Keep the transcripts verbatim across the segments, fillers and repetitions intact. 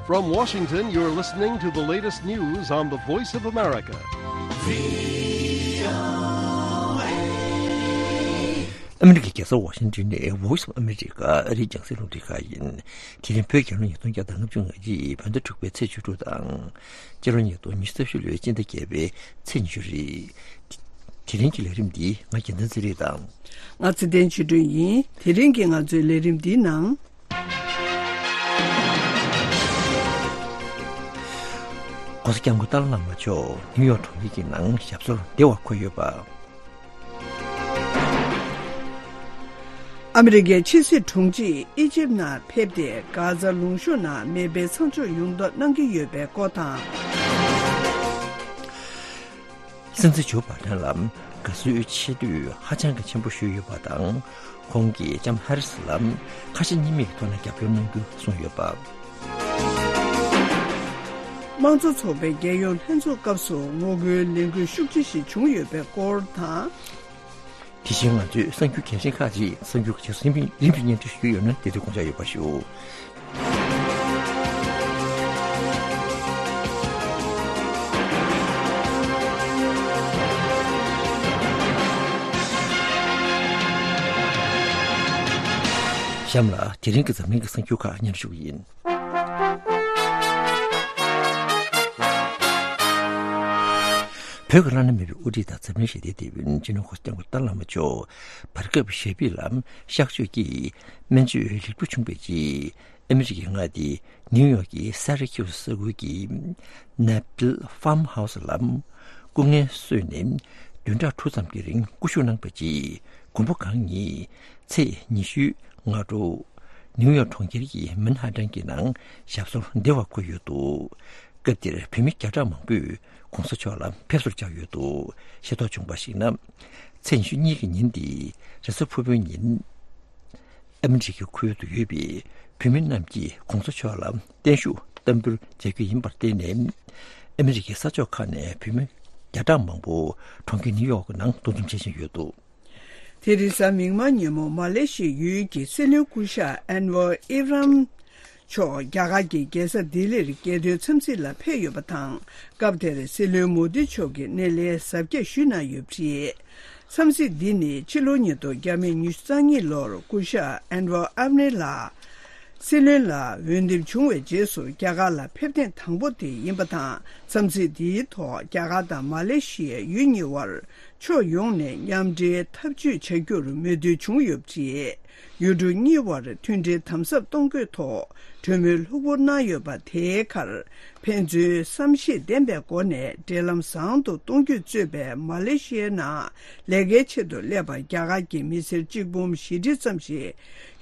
From Washington, you're listening to the latest news on the Voice of America. ཨ་མི་རི་ཀའི་རྒྱལ་ས་ཝ་ཤིང་ཏོན་ནས་Voice of America ཨ་རིའི་རྒྱང་སྲིང་རླུང་འཕྲིན་ཁང་ཡིན། དེ་རིང་བོད་རྒྱལ་ལོ་ཉིས་སྟོང་བརྒྱ་དང་ལྔ་བཅུ་ང་གཅིག་བོད་ཟླ་དྲུག་པའི་ཚེས་བཅུ་དྲུག་དང་། སྤྱི་ལོ་ཉིས་སྟོང་ཉི་ཤུ་རྩ་བཞི་ལོའི་སྤྱི་ཟླ་བརྒྱད་པའི་ཚེས་ཉི་ཤུ་རེད། དེ་རིང་གི་ལས་རིམ་འདི་ང་རྒྱལ་མཚན་ཚེ་རིང་དང་། ང་ཚེ་བརྟན་ཆོས་སྒྲོན་ཡིན། དེ་རིང་གི་ང་ཚོའི་ལས་རིམ་འདིའི་ནང་། ༸གོང་ས་༸སྐྱབས་མགོན་ཏཱ་ལའི་བླ་མ་མཆོག་ནིའུ་ཡོག་གྲོང་ཁྱེར་གྱི་ནང་ཞབས་སོར་བདེ་བར་འཁོད་ཡོད་པ། ཨ་མི་རི་ཀའི་ཕྱི་སྲིད་དྲུང་ཆེས་ཨི་ཇིབ་ནང་ཕེབས་ཏེ། གྷ་ཛ་ལུང་གཤོང་ནང་མེ་འཕེན་མཚམས་འཇོག་ཡོང་མདོག་གནང་གི་ཡོད་པའི་སྐོར་དང་། སྲིད་འཛིན་ཇོ་བྷ་དན་ལ་དགའ་བསུའི་ཆེ་བསྟོད་ཧ་ཅང་གི་ཆེན་པོ་ཞུས་ཡོད་པ་དང་། ཁོང་གིས་ལྕམ་ཧ་རི་སི་ལ་ཁ་ཞེ་གཉིས་མེད་ཀྱི་ཐོག་ནས་རྒྱབ་སྐྱོར་གནང་རྒྱུ་གསུངས་ཡོད་པ། དམངས་གཙོ་ཚོགས་པའི་རྒྱལ་ཡོངས་ལྷན་ཚོགས་སྐབས་སུ་ངོ་རྒོལ་ལས་འགུལ་ཤུགས་ཆེ་ཞིག་བྱུང་ཡོད་པའི་སྐོར་དང་། དེ་བཞིན་ང་ཚོའི་གསར་འགྱུར་གལ་ཆེན་ཁག་ཅིག་གསར་འགྱུར་གྱི་རིམ་བཞིན་སྙན་སྒྲོན་ཞུ་རྒྱུ་ཡོད་ན། དེ་དུས་དགོངས་འཇགས་ཡོད་པ་ཞུ། གཤམ་ལ་དེ་རིང་གི་འཛམ་གླིང་གི་གསར་འགྱུར་ཁག་སྙན་སྒྲོན་ཞུ་གི་ཡིན། བོད་ཀྱི་བླ་ན་མེད་པའི་དབུ་ཁྲིད་དང་འཛམ་གླིང་ཞི་བདེའི་དེད་དཔོན་སྤྱི་ནོར་༸གོང་ས་༸སྐྱབས་མགོན་ཏཱ་ལའི་བླ་མ་མཆོག་བར་སྐབས་ཞབས་པུས་ལ་གཤག་བཅོས་ཀྱིས་སྨན་བཅོས་ལེགས་གྲུབ་བྱུང་བའི་རྗེས། ཨ་མི་རི་ཀའི་མངའ་སྡེ་ནིའུ་ཡོག་གི་སེ་ར་ཁིའུ་ས་ཁུལ་གྱི་ནེ་པིལ་ཧྥམ་ཧའུ་སི་ལ་སྐུ་ངལ་གསོས་ནས་བདུན་ཕྲག་དྲུག་ཙམ་གྱི་རིང་སྐུ་བཞུགས་གནང་བའི་རྗེས། མགོན་པོ་གང་ཉིད་ཚེས་ཉི་ཤུའི་སྔ་དྲོ་ནིའུ་ཡོག་གྲོང་ཁྱེར་གྱི་མན་ཧ་ཏན་གྱི་ནང་ཞབས་སོར་བདེ་བར་འཁོད་ཡོད་འདུག། སྐབས་དེར་བོད་མི་བརྒྱ་ཕྲག་མང་པོས་༸གོང་ས་མཆོག་ལ་ཕེབས་བསུར་བཅར་ཡོད་འདུག། ཤེས་རྟོགས་བྱུང་བར་གཞིགས་ན། ཚེས་ཉི་ཤུ་གཉིས་ཀྱི་ཉིན་འདི་རེས་གཟའ་ཕུར་བུའི་ཉིན། ཨ་མི་རི་ཀའི་ཁུལ་དུ་ཡོད་པའི་བོད་མི་རྣམས་ཀྱིས་༸གོང་ས་མཆོག་ལ་བརྟན་བཞུགས་བསྟར་འབུལ་མཛད་རྒྱུ་ཡིན་པར་བརྟེན་ནས། ཨ་མི་རི་ཀའི་ས་ཕྱོགས་ཁག་ནས་བོད་མི་བརྒྱ་ཕྲག་མང་པོ་གྲོང་ཁྱེར་ནིའུ་ཡོག་གི་ནང་འདུ་འཛོམས་བྱེད་བཞིན་ཡོད་འདུག། དེ་རིང་གཟའ་མིག་དམར་ཉིན་མོ་མ་ལེ་ཤི་ཡའི་ཡུལ་གྱི་སྲིད་བློན་སྐུ་ཞབས་ཨན་ཝར་ཨི་རམ་མཆོག་རྒྱ་གར་གྱི་རྒྱལ་ས་ལྡི་ལིར་རྒྱལ་དོན་འཚམས་གཟིགས་ལ་ཕེབས་ཡོད་པ་དང་། སྐབས་དེར་སྲིད་བློན་མོ་དི་མཆོག་གིས་སྣེ་ལེན་གཟབ་རྒྱས་ཞུས་གནང་ཡོད་པ་རེད། འཚམས་གཟིགས་འདི་ནི་ཕྱི་ལོ་ཉིས་སྟོང་ཉེར་གཉིས་ལོར་སྐུ་ཞབས་ཨན་ཝར་ཨབ་ནི་ལགས་སྲིད་བློན་ལ་འོས་འདེམས་བྱུང་བའི་རྗེས་སུ་རྒྱ་གར་ལ་ཕེབས་ཐེངས་དང་པོ་དེ་ཡིན་པ་དང་། འཚམས་གཟིགས་འདིའི་ཐོག་རྒྱ་གར་དང་མ་ལེ་ཤི་ཡའི་ཡུལ་གཉིས་དབར་ཕྱོགས་ཡོངས་ནས་མཉམ་འབྲེལ་འཐབ་ཇུས་བྱ་རྒྱུར་མོས་མཐུན་བྱུང་ཡོད་པ་རེད། ཡུལ་གྲུ་གཉིས་དབར་མཐུན་སྒྲིལ་དམ་ཟབ་གཏོང་དགོས་ཐོག་གྲོས་མོལ་ལྷུག་པོ་གནང་ཡོད་པ་དེའི་ཁར། ཕན་ཚུན་བསམ་ཤེས་ལྡན་པའི་སྒོ་ནས་འབྲེལ་ལམ་བཟང་དུ་གཏོང་རྒྱུ་གཙོས་པའི་མ་ལེ་ཤི་ཡའི་ནང་ལས་ཀའི་ཆེད་དུ་སླེབས་པ་རྒྱ་གར་གྱི་མི་སེར་གཅིག་འབུམ་བཞི་ཁྲི་ཙམ་ཞིག་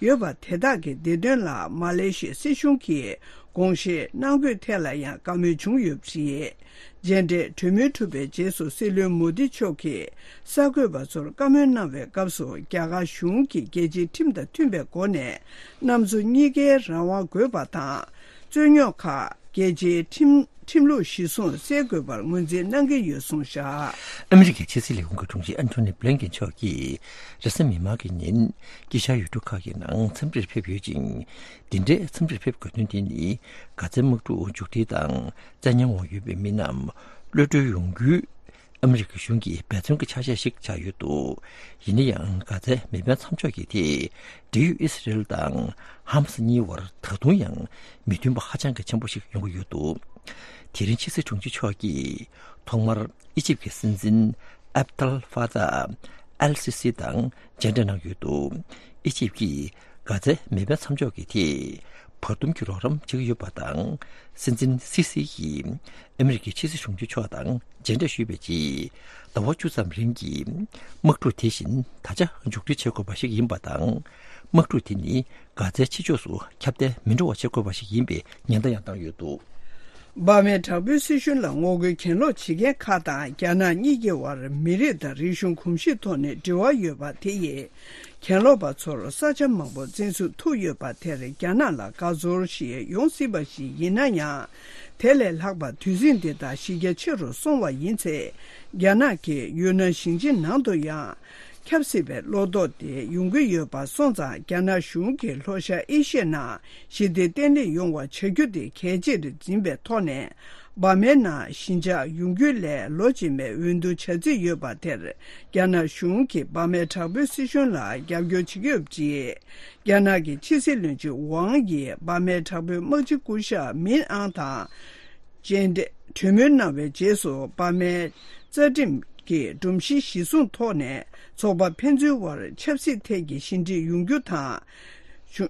ཡོད་པ་དེ་དག་གི་བདེ་དོན་ལ་མ་ལེ་ཤི་ཡའི་སྲིད་གཞུང་གིས་དགོངས་བཞེས་གནང་དགོས་ཐད་ལ་ཡང་བཀའ་མོལ་བྱུང་ཡོད་པ་རེད། མཇལ་འཕྲད་གྲོས་མོལ་གྲུབ་པའི་རྗེས་སུ་སྲིད་བློན་མོ་དི་མཆོག་གིས་གསར་འགོད་པ་ཚོར་བཀའ་མོལ་གནང་བའི་སྐབས་སུ། རྒྱ་གར་གཞུང་གིས་རྒྱལ་སྤྱིའི་ཁྲིམས་དང་མཐུན་པའི་སྒོ་ནས་གནམ་མཚོ་གཉིས་ཀའི་རང་དབང་དགོས་པ་དང་། རྩོད་རྙོག་ཁག་རྒྱལ་སྤྱིའི་ཁྲིམས་ཁྲིམས་ལུགས་གཞིར་བཟུང་སེལ་དགོས་པར་ངོས་འཛིན་གནང་གི་ཡོད་གསུངས་བཞག། ཨ་མི་རི་ཀའི་ཕྱི་སྲིད་ལས་ཁུངས་ཀྱི་དྲུང་ཆེ་ཨན་ཐོ་ནི་བྷི་ལིན་ཀེན་མཆོག་གིས་རེས་གཟའ་མིག་དམར་གྱི་ཉིན་དཀྱིལ་ཤར་ཡུལ་གྲུ་ཁག་གི་ནང་འཚམས་འདྲིར་ཕེབས་ཡོད་ཅིང་། འདི་འདྲའི་འཚམས་འདྲིར་ཕེབས་དགོས་དོན་དེ་ནི་གྷ་ཛའི་དམག་འཁྲུག་མཇུག་སྒྲིལ་དང་། བཙན་ཉར་འོག་ཡོད་པའི་མི་རྣམས་གློད་གྲོལ་ཡོང་རྒྱུའི་ཨ་མི་རི་ཀའི་གཞུང་གི་འབད་བརྩོན་གྱི་ཆ་ཤས་ཤིག་ཆགས་ཡོད་འདུག། ཡིན་ན་ཡང་། གྷ་ཛའི་མེ་འཕེན་མཚམས་འཇོག་གི་ཐད། འབྲེལ་ཡོད་ཨི་སི་རེལ་དང་ཧ་མ་སི་གཉིས་བར་ད་དུང་ཡང་མི་མཐུན་པ་ཧ་ཅང་གི་ཆེན་པོ་ཞིག་ཡོང་གི་ཡོད་འདུག། དེ་རིང་ཕྱི་སྲིད་དྲུང་ཆེ་མཆོག་གིས་ཐོག་མར་ཨི་ཇིབ་ཀྱི་སྲིད་འཛིན་ཨབ་དལ་ཧྥ་ཏཱ་ཨལ་སི་སི་དང་མཇལ་འཕྲད་གནང་ཡོད་འདུག། ཨི་ཇིབ་ཀྱིས་གྷ་ཛའི་མེ་འཕེན་མཚམས་འཇོག་གི་ཐད་བར་འདུམ་གྱི་རོགས་རམ་བྱེད་ཀྱི་ཡོད་པ་དང་། སྲིད་འཛིན་སི་སི་ཡིས་ཨ་མི་རི་ཀའི་ཕྱི་སྲིད་དྲུང་ཆེ་མཆོག་དང་མཇལ་འཕྲད་ཞུས་པའི་རྗེས། ཟླ་བ་བཅུ་ཙམ་རིང་གི་དམག་འཁྲུག་དེ་བཞིན་ད་ཆ་མཇུག་སྒྲིལ་བྱེད་དགོས་པ་ཞིག་ཡིན་པ་དང་། དམག་འཁྲུག་དེ་ནི་གྷ་ཛའི་ཕྱི་ཕྱོགས་སུ་ཁྱབ་གདལ་མི་འགྲོ་བ་བྱེད་དགོས་པ་ཞིག་ཡིན་པའི་ཉེན་བརྡ་ཡང་བཏང་ཡོད་འདུག། འབར་མའི་དྲག་པོའི་སྲིད་གཞུང་ལ་ངོ་རྒོལ་གྱེན་ལོག་བྱེད་མཁན་ཁག་དང་རྒྱ་ནག་གཉིས་ཀྱི་དབར་མི་རིགས་དང་རིག་གཞུང་གོམས་གཤིས་ཐོག་ནས་འབྲེལ་བ་ཡོད་པ་དེ་ཡིས། གྱེན་ལོག་པ་ཚོར་ས་ཆ་མང་པོ་འཛིན་བཟུང་ཐུབ་ཡོད་པ་དེར་རྒྱ་ནག་ལ་དགའ་ཚོར་ཞིག་ཡོང་སྲིད་པ་ཞིག་ཡིན་ན་ཡང་། དེ་ལས་ལྷག་པར་དུས་ཟིང་འདི་དག་གཞི་རྒྱ་ཆེ་རུ་སོང་བ་ཡིན་ཚེ། རྒྱ་ནག་གིས་ཡུན་ནན་ཞིང་ཆེན་ནང་དུ་ཡང་ ཁྱབ་སྲིད་པའི་བློ་དོགས་དེ་ཡོང་གི་ཡོད་པ་སོང་ཙང་། རྒྱ་ནག་གཞུང་གིས་ལྷོ་ཤར་ཨེ་ཤི་ཡའི་ནང་ཞི་བདེ་བརྟན་ལྷིང་ཡོང་བ་བྱ་རྒྱུ་དེ་གལ་ཆེར་འཛིན་པའི་ཐོག་ནས། འབར་མའི་ནང་ཞི་འཇགས་ཡོང་རྒྱུ་ལས་ལོ་རྗེས་མའི་འོས་བསྡུ་བྱ་རྩིས་ཡོད་པ་དེར། རྒྱ་ནག་གཞུང་གིས་འབར་མའི་དྲག་པོའི་སྲིད་གཞུང་ལ་རྒྱབ་སྐྱོར་བྱེད་ཀྱི་ཡོད་པ་རེད། རྒྱ་ནག་གི་ཕྱི་སྲིད་བློན་ཆེན་ཝང་ཡིས་འབར་མའི་དྲག་པོའི་དམག་སྤྱི་སྐུ་ཞབས་མིན་ཨང་དང་མཇལ་འཕྲད་གྲོས་མོལ་གནང་བའི་རྗེས་སུ། འབར་མའི་རྩ་ཁྲིམས་ཀྱི་སྒྲོམ་གཞི་གཞིར་བཟུང་ཐོག་ནས་ཚོགས་པ་ཕན་ཚུན་དབར་ཆབ་སྲིད་ཐད་ཀྱི་ཞི་འགྲིག་ཡོང་རྒྱུ་དང་།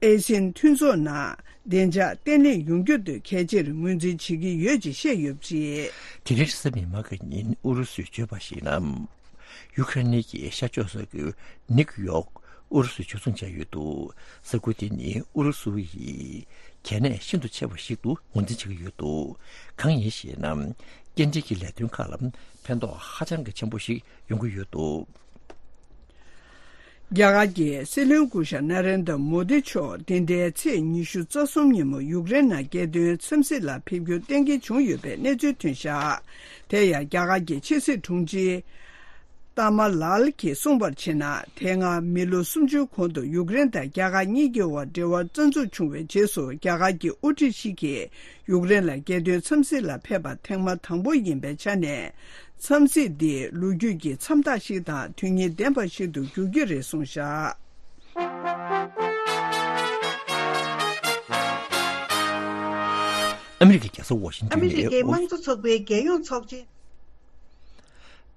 ཨེ་སེ་ཡན་མཐུན་ཚོགས་ནང་བདེ་འཇགས་བརྟན་ལྷིང་ཡོང་རྒྱུ་དེ་གལ་ཆེར་ངོས་འཛིན་བྱེད་ཀྱི་ཡོད་ཅེས་བཤད་ཡོད་པ་རེད། དེ་རིང་རེས་གཟའ་མིག་དམར་གྱི་ཉིན་ཨུ་རུ་སུས་བརྗོད་པར་གཞིགས་ན། ཡུ་ཁ་རེན་གྱི་ཤར་ཕྱོགས་ས་ཁུལ་ནིག་ཡོག་ཨུ་རུ་སུས་འཇུ་བཟུང་བྱས་ཡོད་འདུག། ས་ཁུལ་དེ་ནི་ཨུ་རུ་སུ་ཡི་གལ་གནད་ཤིན་ཏུ་ཆེ་བ་ཞིག་ཏུ་ངོས་འཛིན་བྱེད་ཀྱི་ཡོད་འདུག། གང་ཡིན་ཞེ་ན། སྐྱེལ་འདྲེན་གྱི་ལས་དོན་ཁག་ལ་ཕན་ཐོགས་ཧ་ཅང་གི་ཆེན་པོ་ཞིག་ཡོང་གི་ཡོད་འདུག། རྒྱ་གར་གྱི་སྲིད་བློན་སྐུ་ཞབས་ན་རེན་དྲ་མོ་དི་མཆོག་འདི་ཟླའི་ཚེས་ཉི་ཤུ་རྩ་གསུམ་ཉིན་མོ་ཡུཀ་རེན་ནང་རྒྱལ་དོན་འཚམས་གཟིགས་ལ་ཕེབས་རྒྱུ་གཏན་འཁེལ་བྱུང་ཡོད་པའི་གནས་ཚུལ་ཐོན་བཞག། དེ་ཡང་རྒྱ་གར་གྱི་ཕྱི་སྲིད་དྲུང་ཆེ་ཏཱ་མ་ལཱལ་གྱིས་གསུངས་པར་བྱས་ན། དེ་སྔ་མི་ལོ་སུམ་ཅུའི་གོང་དུ་ཡུཀ་རེན་དང་རྒྱ་གར་གཉིས་ཀྱི་དབར་འབྲེལ་བ་རྩ་འཛུགས་བྱུང་བའི་རྗེས་སུ། རྒྱ་གར་གྱི་དབུ་ཁྲིད་ཞིག་གིས་ཡུཀ་རེན་ལ་རྒྱལ་དོན་འཚམས་གཟིགས་ལ་ཕེབས་པ་ཐེངས་མ་དང་པོ་ཡིན་པའི་ཆ་ནས། འཚམས་གཟིགས་འདི་ལོ་རྒྱུས་ཀྱི་མཚམས་རྟགས་ཤིག་དང་དོན་སྙིང་ལྡན་པ་ཞིག་ཏུ་འགྱུར་གྱི་རེད་གསུངས་བཞག། ཨ་མི་རི་ཀའི་རྒྱལ་ས་ཝ་ཤིང་ཏོན་ནས། ཨ་མི་རི་ཀའི་དམངས་གཙོ་ཚོགས་པའི་རྒྱལ་ཡོངས་ཚོགས་ཆེན།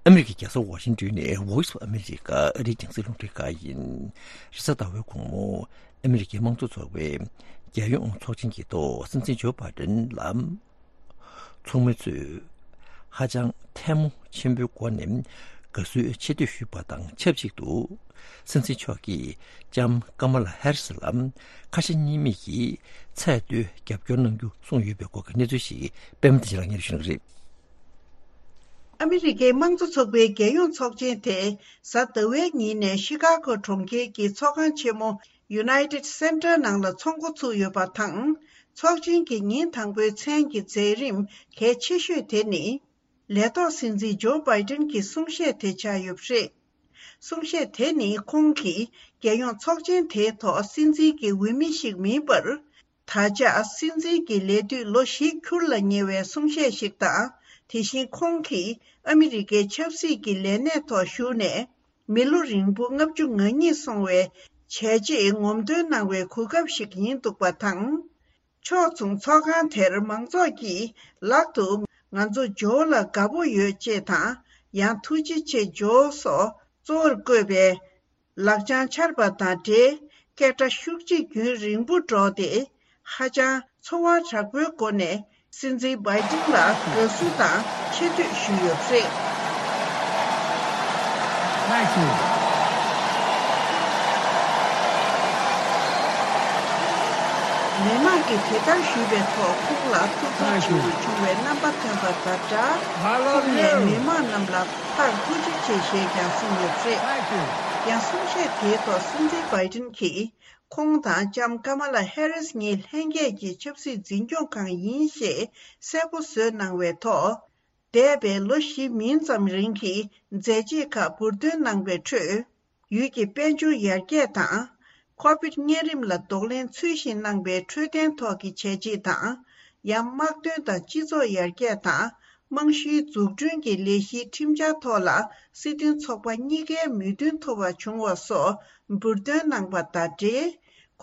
ཨ་མི་རི་ཀའི་རྒྱལ་ས་ཝ་ཤིང་ཏོན་ནས་Voice of America ཨ་རིའི་རྒྱང་སྲིང་རླུང་འཕྲིན་ཁང་ཡིན། རེས་གཟའ་ཟླ་བའི་དགོང་མོ། ཨ་མི་རི་ཀའི་དམངས་གཙོ་ཚོགས་པའི་རྒྱལ་ཡོངས་ཚོགས་ཆེན་གྱི་ཐོག་སྲིད་འཛིན་ཇོ་བྷའི་ཌེན་ལ། ཚོགས་མི་ཚོས་ཧ་ཅང་ཐལ་མོ་ཆེན་པོའི་སྒོ་ནས་དགའ་བསུའི་ཆེ་བསྟོད་ཞུས་པ་དང་ཆབས་ཅིག་ཏུ། སྲིད་འཛིན་མཆོག་གིས་ལྕམ་ཀ་མ་ལ་ཧེ་རི་སི་ལ་ཁ་ཞེ་གཉིས་མེད་ཀྱིས་ཚད་མཐོའི་རྒྱབ་སྐྱོར་གནང་རྒྱུ་གསུངས་ཡོད་པའི་སྐོར་གྱི་གནས་ཚུལ་ཞིག་པད་མ་བདེ་ཆེན་ལགས་སྙན་སྒྲོན་ཞུ་གནང་གི་རེད། ཨ་མི་རི་ཀའི་དམངས་གཙོ་ཚོགས་པའི་རྒྱལ་ཡོངས་ཚོགས་ཆེན་དེ་གཟའ་ཟླ་བའི་ཉིན་ནས་ཤི་ཀ་གོ་གྲོང་ཁྱེར་གྱི་ཚོགས་ཁང་ཆེན་མོ་United Center ནང་ལ་ཚོགས་འགོ་ཚུགས་ཡོད་པ་དང་། ཚོགས་ཆེན་གྱི་ཉིན་དང་པོའི་མཚན་གྱི་མཛད་རིམ་གལ་ཆེ་ཤོས་དེ་ནི། ལས་ཐོག་སྲིད་འཛིན་ཇོ་བྷའི་ཏིན་གྱི་གསུང་བཤད་དེ་ཆགས་ཡོད་པ་རེད། གསུང་བཤད་དེ་ནི་ཁོང་གིས་རྒྱལ་ཡོངས་ཚོགས་ཆེན་དེའི་ཐོག་སྲིད་འཛིན་གྱི་འོས་མི་ཞིག་མིན་པར། ད་ཆ་སྲིད་འཛིན་གྱི་ལས་དུས་ལོ་བཞི་འཁྱོལ་ལ་ཉེ་བའི་གསུང་བཤད་ཞིག་དང་། དེ་བཞིན་ཁོང་གིས་ཨ་མི་རི་ཀའི་ཆབ་སྲིད་ཀྱི་ལས་གནས་ཐོག་ཞུགས་ནས། མི་ལོ་རིང་པོ་ལྔ་བཅུ་ང་གཉིས་སོང་བའི་བྱས་རྗེས་ངོམ་སྟོན་གནང་བའི་གོ་སྐབས་ཤིག་ཡིན་འདུག་པ་དང་། ཕྱོགས་མཚུངས་ཚོགས་ཁང་དེར་མང་ཚོགས་ཀྱིས་ལག་ཏུ་ང་ཚོ་ཇོ་ལ་དགའ་པོ་ཡོད་ཅེས་དང་། ཡང་ཐུགས་རྗེ་ཆེ་ཇོ་སོགས་གཙོ་བོར་བཀོད་པའི་ལག་བཅངས་འཕྱར་བ་དང་འབྲེལ། སྐད་སྒྲ་ཤུགས་ཆེ་རྒྱུན་རིང་པོ་སྒྲོག་སྟེ། ཧ་ཅང་ཚོར་བ་དྲག་པོའི་སྒོ་ནས། སྲིད་འཛིན་བྷའི་ཏིན་ལ་དགའ་བསུ་དང་ཆེ་བསྟོད་ཞུས་ཡོད་པ་རེད། Thank you. མི་མང་གིས་དེ་ལྟར་ཞུས་པའི་ཐོག་ཁོང་ལ་ཐུགས་ཚོར་Thank you. ཆེན་པོ་བྱུང་བའི་རྣམ་པ་ཐོན་པ་དང་སྦྲགས། I love ཁོང་ནས་you. མི་མང་རྣམས་ལ་ཕར་ཐུགས་རྗེ་ཆེ་ཞེས་ཀྱང་གསུངས་ཡོད་པ་རེད། Thank you. ཡང་གསུང་བཤད་དེའི་ཐོག་སྲིད་འཛིན་བྷའི་ཏིན་གྱིས། ཁོང་དང་ལྕམ་ཀ་མ་ལ་ཧེ་རིས་གཉིས་ལྷན་རྒྱས་ཀྱི་ཆབ་སྲིད་འཛིན་སྐྱོང་ཁང་ཡིན་ཞེས་གསལ་པོ་བཟོས་གནང་བའི་ཐོག་འདས་པའི་ལོ་བཞི་མིན་ཙམ་རིང་གི་མཛད་རྗེས་ཁག་འབུར་འདོན་གནང་བའི་ཁྲོད། ཡུལ་གྱི་དཔལ་འབྱོར་ཡར་རྒྱས་དང་། ཁོ་བིད་གཉན་རིམས་ལ་གདོང་ལེན་ཚུལ་བཞིན་གནང་བའི་འཕྲོད་བསྟེན་ཐོག་གི་བྱས་རྗེས་དང་། ཡང་དམག་དོན་དང་སྤྱི་ཚོགས་ཡར་རྒྱས་དང་། རྨང་གཞིའི་འཛུགས་སྐྲུན་གྱི་ལས་གཞིའི་ཁྲིམས་འཆར་ཐོག་ལ་སྲིད་དོན་ཚོགས་པ་གཉིས་ཀའི་མོས་མཐུན་ཐོབ་པ་བྱུང་བ་སོགས་འབུར་འདོན་གནང་པ་དང་འབྲེལ།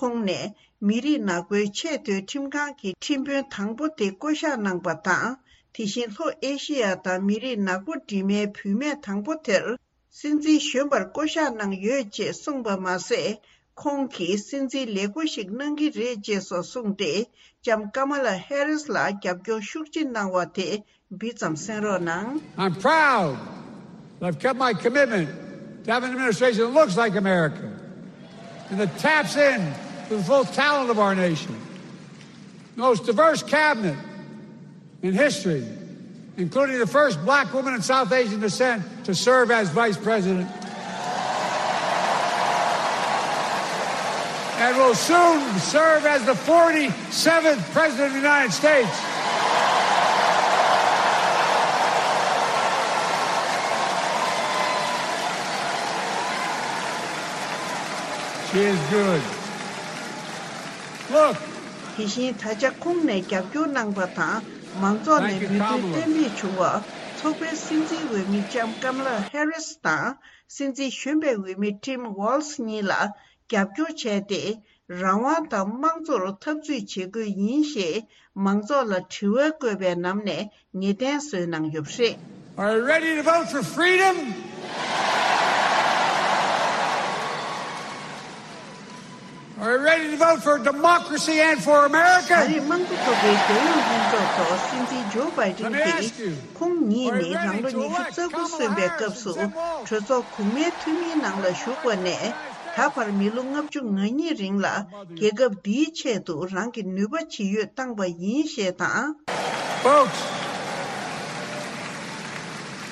ཁོང་ནས་མི་རིགས་ནག་པོའི་ཆེས་མཐོའི་ཁྲིམས་ཁང་གི་ཁྲིམས་དཔོན་དང་པོ་དེ་བསྐོ་གཞག་གནང་པ་དང་། དེ་བཞིན་ལྷོ་ཨེ་ཤེ་ཡ་དང་མི་རིགས་ནག་པོ་འདྲེས་མའི་བུད་མེད་དང་པོ་དེར། སྲིད་འཛིན་གཞོན་པར་བསྐོ་གཞག་གནང་ཡོད་ཅེས་གསུངས་པ་མ་ཟད། ཁོང་གིས་སྲིད་འཛིན་ལེགས་པོ་ཞིག་གནང་གི་རེད་ཅེས་སོགས་གསུངས་ཏེ། ལྕམ་ཀ་མ་ལ་ཧེ་རིས་ལ་རྒྱབ་སྐྱོར་ཤུགས་ཆེ་གནང་བ་དེ་འབུ་ཙམ་གསན་རོགས་གནང་། I'm proud that I've kept my commitment to have an administration that looks like America and that taps in to the full talent of our nation. The most diverse cabinet in history, including the first black woman of South Asian descent to serve as vice president, and will soon serve as the forty-seventh president of the United States. He is good. Look. དེ་བཞིན་ད་ཆ་ཁོང་ནས་རྒྱབ་སྐྱོར་གནང་པ་དང་། མང་ཚོགས་ནས་མོས་གུས་བསྟན་པའི་བྱུང་བ། ཚོགས་པའི་སྲིད་འཛིན་འོས་མི་ལྕམ་ཀམ་ལ་ཧེ་རིས་དང་། སྲིད་འཛིན་གཞོན་པའི་འོས་མི་ཊིམ་ཝོལ་སི་གཉིས་ལ་རྒྱབ་སྐྱོར་བྱས་ཏེ། རང་དབང་དང་དམངས་གཙོར་འཐབ་རྩོད་བྱེད་དགོས་ཡིན་ཞེས་མང་ཚོགས་ལ་དྲི་བ་བཀོད་པའི་ནང་ནས་ངེས་གཏན་བཟོས་གནང་ཡོད་པ་རེད། Are you ready to vote for freedom? Are you ready to vote for democracy and for America? ད་རེས་དམངས་གཙོ་ཚོགས་པའི་རྒྱལ་ཡོངས་ལྷན་ཚོགས་ཐོག་སྲིད་འཛིན་ཇོ་བྷའི་ཌེན་གྱིས། ཁོང་ཉིད་ནི་རང་ལོ་ཉི་ཤུ་རྩ་དགུ་སོན་པའི་སྐབས་སུ་གྲོས་ཚོགས་གོང་མའི་འཐུས་མིའི་ནང་ལ་ཞུགས་པ་ནས། ད་བར་མི་ལོ་ལྔ་བཅུ་ང་གཉིས་རིང་ལ་རྒྱལ་ཁབ་འདིའི་ཆེད་དུ་རང་གི་ནུས་པ་ཇི་ཡོད་བཏང་པ་ཡིན་ཞེས་དང་། Folks,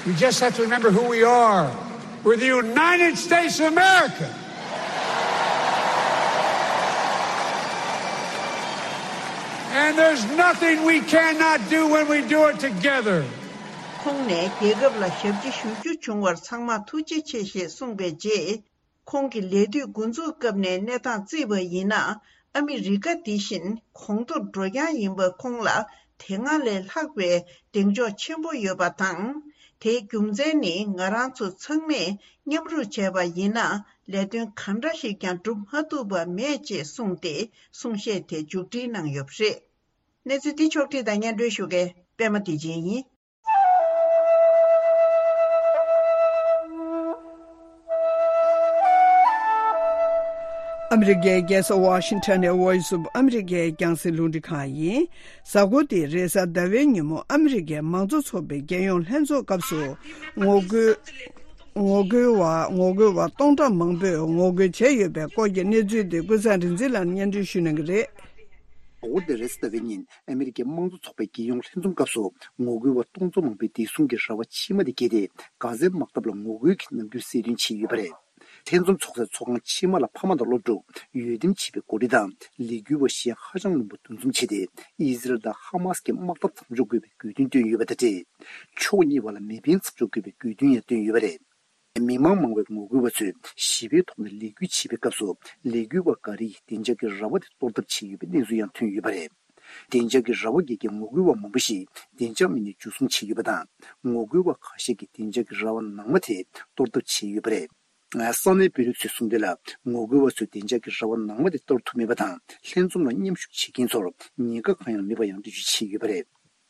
we just have to remember who we are. We're the United States of America. And there's nothing we cannot do when we do it together. ཁོང་ནས་རྒྱལ་ཁབ་ལ་ཞབས་ཕྱི་ཞུ་རྒྱུ་བྱུང་བར་ཚང་མ་ཐུགས་རྗེ་ཆེ་ཞེས་གསུངས་པའི་རྗེས། ཁོང་གི་ལས་དུས་འགོ་འཛུགས་སྐབས་ནས་གནས་སྟངས་བརྩིས་པ་ཡིན་ན། ཨ་མི་རི་ཀ་འདི་བཞིན་གོང་མཐོར་འགྲོ་རྐྱང་ཡིན་པ་ཁོང་ལ་དེ་སྔ་ལས་ལྷག་པའི་གདེང་འཇོག་ཆེན་པོ་ཡོད་པ་དང་། དེའི་རྒྱུ་མཚན་ནི་ང་རང་ཚོ་ཚང་མས་མཉམ་རུབ་བྱས་པ་ཡིན་ན། ལས་དོན་གང་འདྲ་ཞིག་ཀྱང་འགྲུབ་མ་ཐུབ་པ་མེད་ཅེས་གསུངས་ཏེ། གསུང་བཤད་དེ་མཇུག་སྒྲིལ་གནང་ཡོད་པ་རེད། གནས་ཚུལ་འདི་ཕྱོགས་བསྒྲིགས་དང་སྙན་སྒྲོན་ཞུ་མཁན་པད་མ་བདེ་ཆེན་ཡིན། ཨ་མི་རི་ཀའི་རྒྱལ་ས་ཝ་ཤིང་ཊོན་ནས་Voice of America་རྒྱང་སྲིང་རླུང་འཕྲིན་ཁང་ཡིན། གཟའ་འཁོར་འདིའི་རེས་གཟའ་ཟླ་བའི་ཉིན་མོ་ཨ་མི་རི་ཀའི་མང་གཙོ་ཚོགས་པའི་རྒྱལ་ཡོངས་ལྷན་ཚོགས་སྐབས་སུ་ངོ་རྒོལ། ངོ་རྒོལ་བ་ངོ་རྒོལ་བ་སྟོང་ཕྲག་མང་པོས་ངོ་རྒོལ་བྱས་ཡོད་པའི་སྐོར་གྱི་གནས་ཚུལ་དེ་ཀུན་བཟང་རིག་འཛིན་ལགས་ནས་སྙན་སྒྲོན་ཞུ་གནང་གི་རེད། གཟའ་འཁོར་འདིའི་རེས་གཟའ་ཟླ་བའི་ཉིན་ཨ་མི་རི་ཀའི་དམངས་གཙོ་ཚོགས་པའི་རྒྱལ་ཡོངས་ལྷན་འཛོམས་སྐབས་སུ་ངོ་རྒོལ་བ་སྟོང་ཚོ་མང་པོས་བདེ་སྲུང་གི་ར་བ་ཕྱི་མ་དེ་བརྒལ་ཏེ། གྷ་ཛའི་དམག་འཐབ་ལ་ངོ་རྒོལ་གྱི་རྣམ་འགྱུར་གསལ་སྟོན་བྱས་ཡོད་པ་རེད། ལྷན་འཛོམས་ཚོགས་སའི་ཚོགས་ཁང་ཕྱི་མ་ལ་ཕ་མ་དང་སློབ་ཕྲུག་འོས་འདེམས་བྱས་པའི་འགོ་ཁྲིད་དང་ལས་འགུལ་བ་གཞན་ཧ་ཅང་མང་པོ་འདུ་འཛོམས་བྱས་ཏེ། ཨི་ཟི་རལ་དང་ཧ་མ་སི་ཀྱི་དམག་འཐབ་མཚམས་འཇོག་དགོས་པའི་དགོས་འདུན་བཏོན་ཡོད་པ་དང་འབྲེལ། ཕྱོགས་གཉིས་བར་ལ་མེ་འཕེན་མཚམས་འཇོག་དགོས་པའི་དགོས་འདུན་ཡང་བཏོན་ཡོད་པ་རེད། མི་མང་མང་བས་ངོ་རྒོལ་བ་ཚོས་ཞི་བའི་ཐོག་ནས་ལས་འགུལ་བྱེད་པའི་སྐབས་སུ། ལས་འགུལ་བ་འགའ་རེས་བདེ་འཇགས་ཀྱི་ར་བ་དེ་གཏོར་ཐབས་བྱས་ཡོད་པའི་གནས་ཚུལ་ཡང་ཐོན་ཡོད་པ་རེད། བདེ་འཇགས་ཀྱི་ར་བ་བརྒལ་མཁན་ངོ་རྒོལ་བ་མང་པོ་ཞིག་བདེ་འཇགས་མི་སྣས་འཇུ་བཟུང་བྱས་ཡོད་པ་དང་། ངོ་རྒོལ་བ་ཁ་ཤས་ཀྱིས་བདེ་འཇགས་ཀྱི་ར་བ་ནང་མ་དེ་གཏོར་ཐབས་བྱས་ཡོད་པ་རེད། ས་གནས་དཔོན་རིགས་ཚོས་གསུངས་དོན་ལ། ངོ་རྒོལ་བ་ཚོས་བདེ་འཇགས་ཀྱི་ར་བ་ནང་མ་དེ་གཏོར་ཐུབ་མེད་པ་དང་། ལྷན་འཛོམས་ལ་མཉམ་ཞུགས་བྱེད་མཁན་ཚོར་ཉེན་ཁ་གང་ཡང་མེད་པ་ཡང་འགྲེལ་བརྗོད་བྱས་ཡོད་པ་རེད།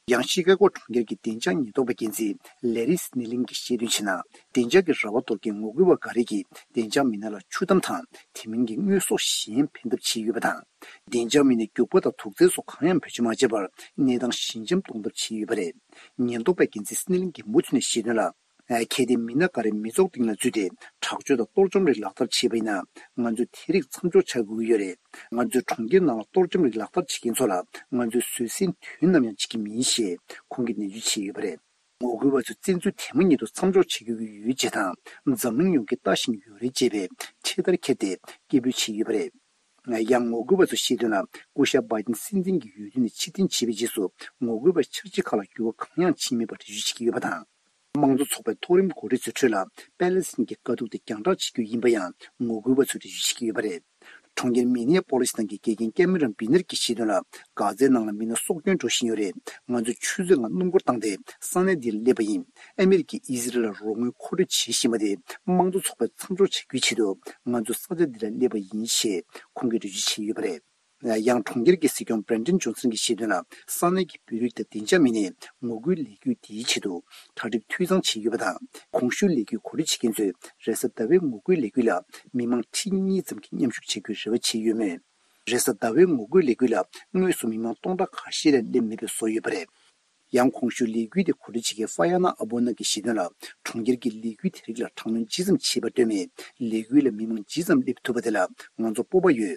ཡང་ཤི་ཀ་གོ་གྲོང་ཁྱེར་གྱི་བདེ་འཇགས་ཉེན་རྟོག་པའི་འགན་འཛིན་ལེ་རི་སི་ནེ་ལིན་གྱིས་བཤད་དོན་བྱས་ན། བདེ་འཇགས་ཀྱི་ར་བ་གཏོར་མཁན་ངོ་རྒོལ་བ་འགའ་རེ་གིས་བདེ་འཇགས་མི་སྣ་ལ་ཆུ་དམ་དང་དེ་མིན་གྱི་དངོས་ཟོག་གཞན་འཕེན་ཐབས་བྱས་ཡོད་པ་དང་། བདེ་འཇགས་མི་སྣས་རྒྱུག་པ་དང་དུག་རྫས་སོགས་གང་ཡང་བེད་སྤྱོད་མ་བྱས་པར་གནས་སྟངས་ཞི་འཇམ་གཏོང་ཐབས་བྱས་ཡོད་པ་རེད། ཉེན་རྟོག་པའི་འགན་འཛིན་སི་ནེ་ལིན་གྱིས་མུ་མཐུད་ནས་བཤད་དོན་ལ། གལ་ཏེ་མི་སྣ་འགའ་རེ་མི་ཚོགས་སྟེང་ལ་འཛུལ་ཏེ་དྲག་སྤྱོད་དང་གཏོར་བཅོམ་རིགས་ལག་བསྟར་བྱས་པ་ཡིན་ན། ང་ཚོས་དེ་རིགས་མཚམས་འཇོག་བྱ་དགོས་ཀྱི་ཡོད་རེད། ང་ཚོས་གྲོང་ཁྱེར་ནང་ལ་གཏོར་བཅོམ་རིགས་ལག་བསྟར་བྱེད་མཁན་ཚོ་ལ་ང་ཚོས་བཟོད་བསྲན་དུས་ནམ་ཡང་བྱེད་ཀྱི་མིན་ཞེས་ཁོང་གིས་ནན་བརྗོད་བྱས་ཡོད་པ་རེད། ངོ་རྒོལ་བ་ཚོས་བཙན་འཛུལ་དེ་མ་ཉིད་དུ་མཚམས་འཇོག་བྱེད་དགོས་ཀྱི་ཡོད་ཅེས་དང་། འཛམ་གླིང་ཡོངས་ཀྱིས་ལྟ་བཞིན་ཡོད་རེད་ཅེས་པའི་ཁྲིད་ཐར་འཁྱེར་ཏེ་སྐད་འབོད་བྱས་ཡོད་པ་རེད། ཡང་ངོ་རྒོལ་བ་ཚོས་བཤད་དོན་ལ། སྐུ་ཞབས་བྷའི་ཏིན་སྲིད་འཛིན་གྱི་འོས་བསྡུ་ནས་ཕྱིར་འཐེན་བྱས་པའི་རྗེས་སུ། ངོ་རྒོལ་བའི་འཆར་གཞི་ཁག་ལ་འགྱུར་བ་གང་ཡང་ཕྱིན་མེད་པར་འགྲེལ་བརྗོད་བྱེད་ཀྱི་ཡོད་པ་དང་། དམངས་གཙོ་ཚོགས་པའི་མཐོ་རིམ་འགོ་ཁྲིད་ཚོའི་ཁྲོད་ལ། པེ་ལེ་སི་ཐན་གྱི་དཀའ་སྡུག་དེ་རྒྱང་བསྒྲགས་བྱེད་རྒྱུ་ཡིན་པ་ཡང་ངོ་རྒོལ་བ་ཚོས་འགྲེལ་བརྗོད་བྱེད་ཀྱི་ཡོད་པ་རེད། གྲོང་ཁྱེར་མི་ནེ་ཡ་པོ་ལི་སི་ནང་གི་དགེ་རྒན་ཀེ་མི་རོན་བི་ནར་གྱིས་བཤད་དོན་ལ། གྷ་ཛའི་ནང་ལ་མི་སྣ་སྲོག་སྐྱོན་འགྲོ་བཞིན་ཡོད་རེད། ང་ཚོས་ཆུ་ཚོད་ལྔ་སྣུམ་འཁོར་བཏང་སྟེ་ས་གནས་འདིར་སླེབས་པ་ཡིན། ཨ་མི་རི་ཀས་ཨི་ཟི་རལ་ལ་རོགས་དངུལ་མཁོ་སྤྲོད་བྱེད་བཞིན་པ་དེ་དམངས་གཙོ་ཚོགས་པས་མཚམས་འཇོག་བྱ་རྒྱུའི་ཆེད་དུ་ང་ཚོ་ས་ཆ་འདི་ལ་སླེབས་པ་ཡིན་ཞེས་ཁོང་གིས་འགྲེལ་བརྗོད་བྱས་ཡོད་པ་རེད། ཡང་གྲོང་ཁྱེར་གྱི་སྲིད་སྐྱོང་བྷི་རེན་ཏིན་ཇོན་སན་གྱིས་བཤད་དོན་ལ། ས་གནས་ཀྱི་བོད་རིགས་དང་བདེ་འཇགས་མི་སྣས་ངོ་རྒོལ་ལས་འགུལ་འདིའི་ཆེད་དུ་གྲ་སྒྲིག་འཐུས་ཚང་བྱས་ཡོད་པ་དང་། གོང་ཞུས་ལས་འགུལ་གོ་སྒྲིག་བྱེད་མཁན་ཚོས་རེས་གཟའ་ཟླ་བའི་ངོ་རྒོལ་ལས་འགུལ་ལ་མི་མང་ཁྲི་གཉིས་ཙམ་གྱིས་མཉམ་ཞུགས་བྱེད་རྒྱུའི་རེ་བ་བྱས་ཡོད་མོད། རེས་གཟའ་ཟླ་བའི་ངོ་རྒོལ་ལས་འགུལ་ལ་དངོས་སུ་མི་མང་སྟོང་ཕྲག་ཁ་ཤས་ལས་སླེབས་མེད་པའི་བཟོ་ཡོད་པ་རེད། ཡང་གོང་ཞུས་ལས་འགུལ་དེ་གོ་སྒྲིག་བྱེད་མཁན་ཧྥ་ཡ་ན་ཨ་བོ་ན་གྱིས་བཤད་དོན་ལ། གྲོང་ཁྱེར་གྱི་ལས་འགུལ་དེ་རིགས་ལ་དྲག་གནོན་ཇི་ཙམ་བྱས་པར་ལྟོས་མེད། ལས་འགུལ་ལ་མི་མང་ཇི་ཙམ་སླེབས་ཐུབ་པ་དེ་ལ་ང་ཚོ་སྤོབས་པ་ཡོད།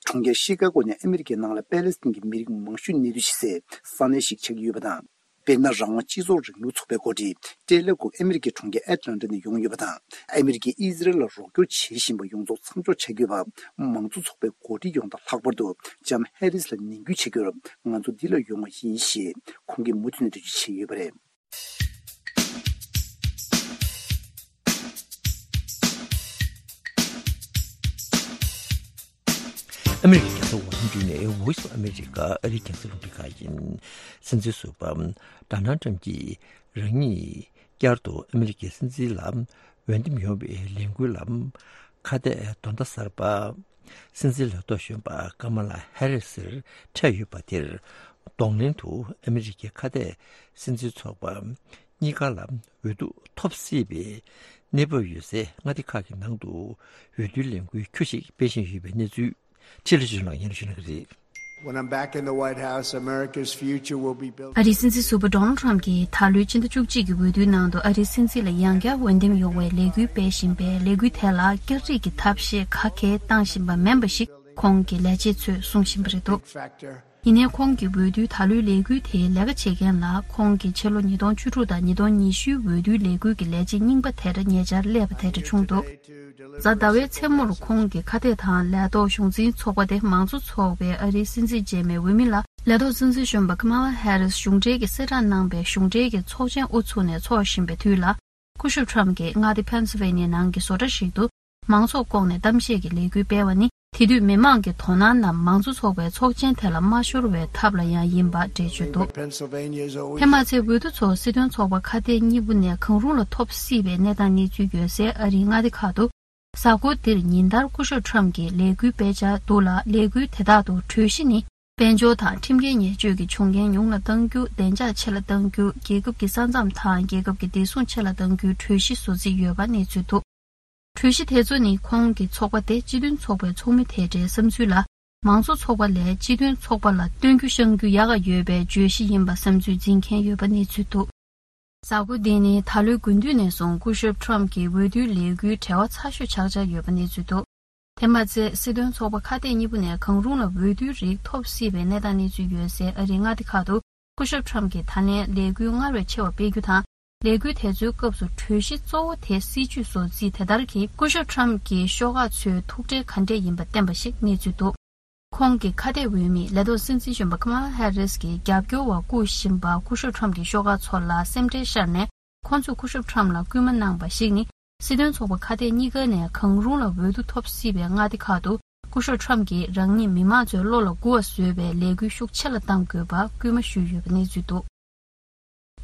གྲོང་ཁྱེར་ཤི་ཀ་གོ་ནི་ཨ་མི་རི་ཀའི་ནང་ལ་པེ་ལེ་སི་ཐན་གྱི་མི་རིགས་མང་ཤོས་གནས་སྡོད་བྱེད་སའི་ས་གནས་ཤིག་ཆགས་ཀྱི་ཡོད་པ་དང་། དཔེར་ན། རང་དབང་སྤྱི་ཚོགས་རིང་ལུགས་ཚོགས་པའི་འགོ་ཁྲིད་ཏེ་ལེ་ཀོ་ཨ་མི་རི་ཀའི་གྲོང་ཁྱེར་ཨེ་ཊ་ལན་ཊ་ནས་ཡོང་ཡོད་པ་དང་། ཨ་མི་རི་ཀས་ཨི་ཟི་རལ་ལ་རོགས་སྐྱོར་བྱེད་བཞིན་པ་ཡོངས་རྫོགས་མཚམས་འཇོག་བྱ་དགོས་པ། མང་གཙོ་ཚོགས་པའི་འགོ་ཁྲིད་ཡོངས་དང་། ལྷག་པར་དུ་ལྕམ་ཧེ་རིས་ལ་ནན་སྐུལ་བྱེད་རྒྱུར་ང་ཚོ་འདི་ལ་ཡོང་བ་ཡིན་ཞེས་ཁོང་གིས་མུ་མཐུད་ནས་འགྲེལ་བརྗོད་བྱས་ཡོད་པ་རེད། ཨ་མི་རི་ཀའི་རྒྱལ་ས་ཝ་ཤིང་ཊོན་ནས་Voice of America ཨ་རིའི་རྒྱང་སྲིང་རླུང་འཕྲིན་ཁང་ཡིན། སྲིད་འཛིན་ཟུར་པ་ཌོ་ནལ་ཊམ་གྱིས་རང་ཉིད་བསྐྱར་དུ་ཨ་མི་རི་ཀའི་སྲིད་འཛིན་ལ་འོས་འདེམས་ཡོང་བའི་ལས་འགུལ་ལ་ཁ་གཏད་དོ་ཟླ་གསར་པ་སྲིད་འཛིན་ལས་ཐོག་གཞོན་པ་ཀ་མ་ལ་ཧེ་རི་སིར་འཕྲད་ཡོད་པ་དེར་གདོང་ལེན་དུ་ཨ་མི་རི་ཀའི་ཁ་གཏད་སྲིད་འཛིན་ཚོགས་པ་གཉིས་ཀ་ལ་འོས་བསྡུ་ཐོབ་སྲིད་པའི་གནས་བབ་ཡོད་སའི་མངའ་སྡེ་ཁག་གི་ནང་དུ་འོས་བསྡུའི་ལས་འགུལ་ཁྱུ་ཞིག་སྤེལ་བཞིན་ཡོད་པའི་གནས་ཚུལ་ཁྲི་ལི་ཅུན་ལགས་སྙན་སྒྲོན་ཞུ་གནང་གི་རེད། When I'm back in the White House, America's future will be built. ཨ་རིའི་སྲིད་འཛིན་ཟུར་པ་ཌོ་ནལ་ཊམ་གྱིས་ད་ལོའི་སྤྱི་ཟླ་བཅུ་གཅིག་གི་འོས་བསྡུའི་ནང་དུ་ཨ་རིའི་སྲིད་འཛིན་ལ་ཡང་བསྐྱར་འོས་འདེམས་ཡོང་བའི་ལས་འགུལ་སྤེལ་བཞིན་པའི་ལས་འགུལ་དེ་ལ་བསྐྱར་སྒྲིག་གི་ཐབས་ཤེས་ག་གེ་བཏང་བཞིན་པ་མིན་པ་ཞིག་ཁོང་གི་ལས་བྱེད་ཚོས་གསུང་བཞིན་པ་རེད་འདུག Factor. ཡིན་ནའི་ཁོང་གིས་འོས་བསྡུའི་ད་ལོའི་ལས་འགུལ་དེའི་ལས་ཀ་བྱེད་མཁན་ལ་ཁོང་གིས་ཕྱི་ལོ་ཉིས་སྟོང་བཅུ་དྲུག་དང་ཉིས་སྟོང་ཉི་ཤུའི་འོས་བསྡུའི་ལས་འགུལ་གྱི་ལས་བྱེད་རྙིང་པ་དེར་ཉེ་ཆར་སླེབས་པ་དེ་འདྲ་བྱུང་འདུག་གཟའ་ཟླ་བའི་མཚན་མོར་ཁོང་གིས་ཁ་གཏད་དང་ལས་ཐོག་གཞུང་འཛིན་ཚོགས་པ་དེ་མང་གཙོ་ཚོགས་པའི་ཨ་རིའི་སྲིད་འཛིན་རྗེས་མའི་འོས་མི་ལ་ལས་ཐོག་སྲིད་འཛིན་གཞོན་པ་ཀ་མ་ལ་ཧེ་རིས་གཞུང་འབྲེལ་གྱི་གསལ་བསྒྲགས་གནང་པའི་གཞུང་འབྲེལ་གྱི་ཚོགས་ཆེན་དབུ་ཚུགས་ནས་འཚོགས་བཞིན་པའི་དུས་ལ། སྐུ་ཞབས་ཊམ་གྱིས་མངའ་སྡེ་ཕེན་སིལ་ཝེ་ནི་ཡའི་ནང་གི་བཟོ་གྲྭ་ཞིག་ཏུ་མང་ཚོགས་བསྐོངས་ནས་གཏམ་བཤད་ཀྱི་ལས་འགུལ་སྤེལ་བ་ནི། དེ་དུས་མི་མང་གི་དོ་སྣང་རྣམས་མང་གཙོ་ཚོགས་པའི་ཚོགས་ཆེན་དེ་ལ་མ་ཤོར་བའི་ཐབས་ལ་ཡང་ཡིན་པ་འགྲེལ་བརྗོད་འདུག Pennsylvania's always དེ་མ་ཚད་འོས་བསྡུ་ཚོ་སྲིད་དོན་ཚོགས་པ་ཁ་གཏད་གཉིས་པོ་ནས་གང་རུང་ལ་ཐོབ་སྲིད་པའི་གནས་སྟངས་གནས་ཚུལ་ཡོད་སའི་ཨ་རིའི་མངའ་སྡེ་ཁག་ཏུ། གཟའ་འཁོར་འདིར་ཉིན་ལྟར་སྐུ་ཞབས་ཊམ་གྱི་ལས་འགུལ་སྤེལ་འཆར་འདུག་ལ། ལས་འགུལ་དེ་དག་ཏུ་གྲོས་གཞི་ནི། དཔལ་འབྱོར་དང་ཁྲིམས་འགལ་ཉེས་སྤྱོད་ཀྱི་བྱུང་རྐྱེན་ཉུང་ལ་གཏང་རྒྱུ། བདེ་འཇགས་ཆེ་ལ་གཏང་རྒྱུ། རྒྱལ་ཁབ་ཀྱི་ས་མཚམས་དང་རྒྱལ་ཁབ་ཀྱི་བདེ་སྲུང་ཆེ་ལ་གཏང་རྒྱུའི་གྲོས་གཞི་བཟོ་རྩིས་ཡོད་པ་གནས་ཚུལ་འདུག་གྲོས་གཞི་དེ་ཚོ་ནི་ཁོང་གི་ཚོགས་པ་དེ་སྤྱི་མཐུན་ཚོགས་པའི་ཚོགས་མི་དེ་འདྲའི་བསམ་ཚུལ་ལ། མང་གཙོ་ཚོགས་པ་ལས་སྤྱི་མཐུན་ཚོགས་པ་ལ་སྟོན་རྒྱུ་བཤང་རྒྱུ་ཡག་ག་ཡོད་པའི་བརྗོད་གཞི་ཡིན་པ་བསམ་ཚུལ་འཛིན་མཁན་ཡོད་པ་གནས་ཚུལ་འདུག་གཟའ་འཁོར་འདི་ནི་ད་ལོའི་དགུན་དུས་ནས་བཟུང་སྐུ་ཞབས་ཊམ་གྱི་འོས་བསྡུའི་ལས་འགུལ་བྲེལ་བ་ཚ་ཤོས་ཆགས་འཆར་ཡོད་པ་གནས་ཚུལ་འདུག་དེ་མ་ཚད་སྲིད་དོན་ཚོགས་པ་ཁ་གཏད་གཉིས་པོ་ནས་གང་རུང་ལ་འོས་བསྡུའི་རིགས་ཐོབ་སྲིད་པའི་གནས་སྟངས་གནས་ཚུལ་ཡོད་སའི་ཨ་རིའི་མངའ་སྡེ་ཁག་ཏུ་སྐུ་ཞབས་ཊམ་གྱིས་ད་ལན་ལས་འགུལ་སྔར་བས་ཆེ་བ་སྤེལ་རྒྱུ་དང་། ལས་འགུལ་དེ་ཚོའི་སྐབས་སུ་གྲོས་གཞི་གཙོ་བོ་དེ་སྲིད་ཇུས་བཟོ་རྩིས་དེ་ལྟར་གྱིས་སྐུ་ཞབས་ཊམ་གྱི་ཤོག་ཁག་ཚོའི་ཐུགས་ཁྲལ་ག་འདྲས་ཡིན་པ་བསྟན་པ་ཞིག་གནས་ཚུལ་འདུག་ཁོང་གི་ཁ་གཏད་འོས་མི་ལས་ཐོག་སྲིད་འཛིན་གཞོན་པ་ཀ་མ་ལ་ཧེ་རིས་ཀྱི་རྒྱབ་སྐྱོར་བ་བསྐོ་བཞིན་པ་སྐུ་ཞབས་ཊམ་གྱི་ཤོག་ཁག་ཚོ་ལ་སེམས་ཁྲལ་ཤར་ནས། ཁོང་ཚོས་སྐུ་ཞབས་ཊམ་ལ་སྐུལ་མ་གནང་བ་ཞིག་ནི། སྲིད་དོན་ཚོགས་པ་ཁ་གཏད་གཉིས་ཀ་ནས་གང་རུང་ལ་འོས་བསྡུ་ཐོབ་སྲིད་པའི་མངའ་སྡེ་ཁག་ཏུ། སྐུ་ཞབས་ཊམ་གྱིས་རང་ཉིད་མི་མང་ཚོའི་བློ་ལ་མགུ་བ་བཟོས་པའི་ལས་འགུལ་ཤུགས་ཆེ་ལ་གཏང་དགོས་པ་སྐུལ་མ་ཞུས་ཡོད་པ་གནས་ཚུལ་འདུག་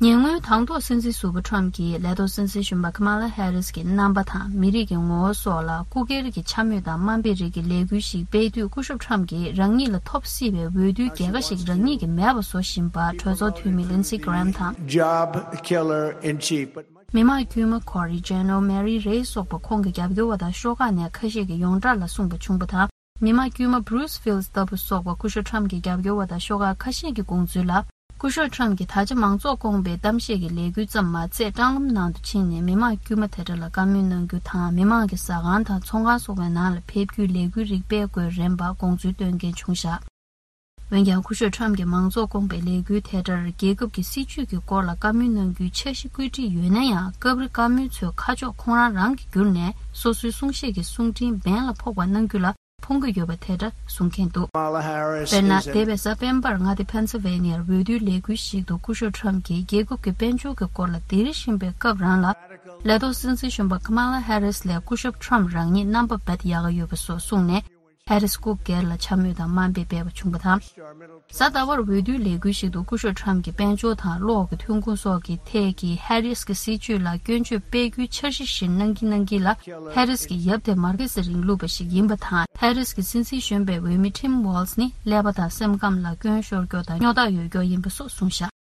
ཉེ་སྔོན་དང་ཐོག་སྲིད་འཛིན་ཟུར་པ་ཊམ་གྱིས་ལས་ཐོག་སྲིད་འཛིན་གཞོན་པ་ཀ་མ་ལ་ཧེ་རིས་ཀྱི་རྣམ་པ་དང་མི་རིགས་ཀྱི་ངོ་བོ་སོགས་ལ་སྐུ་སྒེར་གྱི་འཕྱ་སྨོད་དང་དམའ་འབེབས་རིགས་ཀྱི་ལས་འགུལ་ཞིག་སྤེལ་དུས། སྐུ་ཞབས་ཊམ་གྱིས་རང་ཉིད་ལ་ཐོབ་སྲིད་པའི་འོས་བསྡུའི་རྒྱལ་ཁ་ཞིག་རང་ཉིད་ཀྱིས་མེད་པ་བཟོ་བཞིན་པ་གྲོས་ཚོགས་འཐུས་མི་ལིན་སི་གྷི་རེམ་དང་། Job killer in chief, but མི་དམངས་དཀྱུས་མ་ཀོ་རི་ཇེ་ནོ་མེ་རི་རེ་སོགས་པ་ཁོང་གི་རྒྱབ་སྐྱོར་བ་དང་ཤོག་ཁག་ནས་ཁ་ཤས་ཀྱིས་ཡོངས་གྲགས་ལ་གསུངས་པ་བྱུང་བ་དང་། མི་དམངས་དཀྱུས་མ་བྷུ་རུ་སི་ཕིལ་ཌི་ལྟ་བུ་སོགས་པ་སྐུ་ཞབས་ཊམ་གྱི་རྒྱབ་སྐྱོར་བ་དང་ཤོག་ཁག་ཁ་ཤས་ཀྱི་དགོངས་ཚུལ་ལ། སྐུ་ཞབས་ཊམ་གྱིས་ད་ཆ་མང་ཚོགས་བསྐོངས་པའི་གཏམ་བཤད་ཀྱི་ལས་འགུལ་ཙམ་མ་ཚད། སྲང་ལམ་ནང་དུ་ཕྱིན་ནས་མི་དམངས་དཀྱུས་མ་དེ་འདྲ་ལ་བཀའ་མོལ་གནང་རྒྱུ་དང་། མི་དམངས་ཀྱི་ཟ་ཁང་དང་ཚོང་ཁང་སོགས་པའི་ནང་ལ་ཕེབས་རྒྱུའི་ལས་འགུལ་རིགས་སྤེལ་དགོས་རན་པ་དགོངས་ཚུལ་བཏོན་མཁན་བྱུང་བཞག་འོན་ཀྱང་། སྐུ་ཞབས་ཊམ་གྱིས་མང་ཚོགས་བསྐོངས་པའི་ལས་འགུལ་དེ་ལྟར་རྒྱལ་ཁབ་ཀྱི་སྲིད་ཇུས་ཀྱི་སྐོར་ལ་བཀའ་མོལ་གནང་རྒྱུའི་འཆར་གཞི་བཀོད་སྒྲིག་ཡོད་ན་ཡང་། སྐབས་རེ་བཀའ་མོལ་ཚོའི་ཁ་ཕྱོགས་ཁོང་རང་རང་གིས་བསྒྱུར་ནས། སོ་སོའི་གསུང་བཤད་ཀྱི་གསུང་འཕྲིན་འབེན་ལ་ཕོག་པ་གནང་རྒྱུ་ལ་ཕོངས་ཀྱི་ཡོད་པ་དེ་འདྲ་གསུང་མཁན་འདུག Kamala Harris དཔེར་ན། is an འདས་པའི་གཟའ་སྤེན་པར་མངའ་སྡེ་ཕེན་སིལ་ཝེ་ནི་ཡར་འོས་བསྡུའི་ལས་འགུལ་ཞིག་ཏུ་སྐུ་ཞབས་ཊམ་གྱིས་རྒྱལ་ཁབ་ཀྱི་དཔལ་འབྱོར་གྱི་སྐོར་ལ་འདིར་བཞིན་པའི་སྐབས་རང་ལ། ལས་ཐོག་སྲིད་འཛིན་གཞོན་པ་ཀ་མ་ལ་ཧེ་རིས་ལས་སྐུ་ཞབས་ཊམ་རང་ཉིད་རྣམ་པ་རྦད་ཡག་ག་ཡོད་པ་སོགས་གསུངས་ནས། ཧེ་རིས་སྐུ་སྒེར་ལ་འཕྱ་སྨོད་དང་དམའ་འབེབས་སྤེལ་བ་བྱུང་བ་དང་། གཟའ་ཟླ་བར་འོས་བསྡུའི་ལས་འགུལ་ཞིག་ཏུ་སྐུ་ཞབས་ཊམ་གྱིས་དཔལ་འབྱོར་དང་གློག་གི་ཐོན་ཁུངས་སོགས་ཀྱི་ཐད་ཀྱི་ཧེ་རིས་ཀྱི་སྲིད་ཇུས་ལ་སྐྱོན་བརྗོད་སྤེལ་རྒྱུའི་འཆར་གཞི་བཞིན་གནང་གིན་གནང་གིན་ལ། ཧེ་རིས་ཀྱི་ཡབ་དེ་མར་ཁེ་སི་རིང་ལུགས་པ་ཞིག་ཡིན་པ་དང་། ཧེ་རིས་ཀྱི་སྲིད་འཛིན་གཞོན་པའི་འོས་མི་ཊིམ་ཝོལ་ཛི་ནི་ཀླད་པ་དང་སེམས་ཁམས་ལ་སྐྱོན་ཤོར་མཁན་དང་སྨྱོ་རྟགས་ཡོད་མཁན་ཡིན་པ་སོགས་གསུངས་བཞག་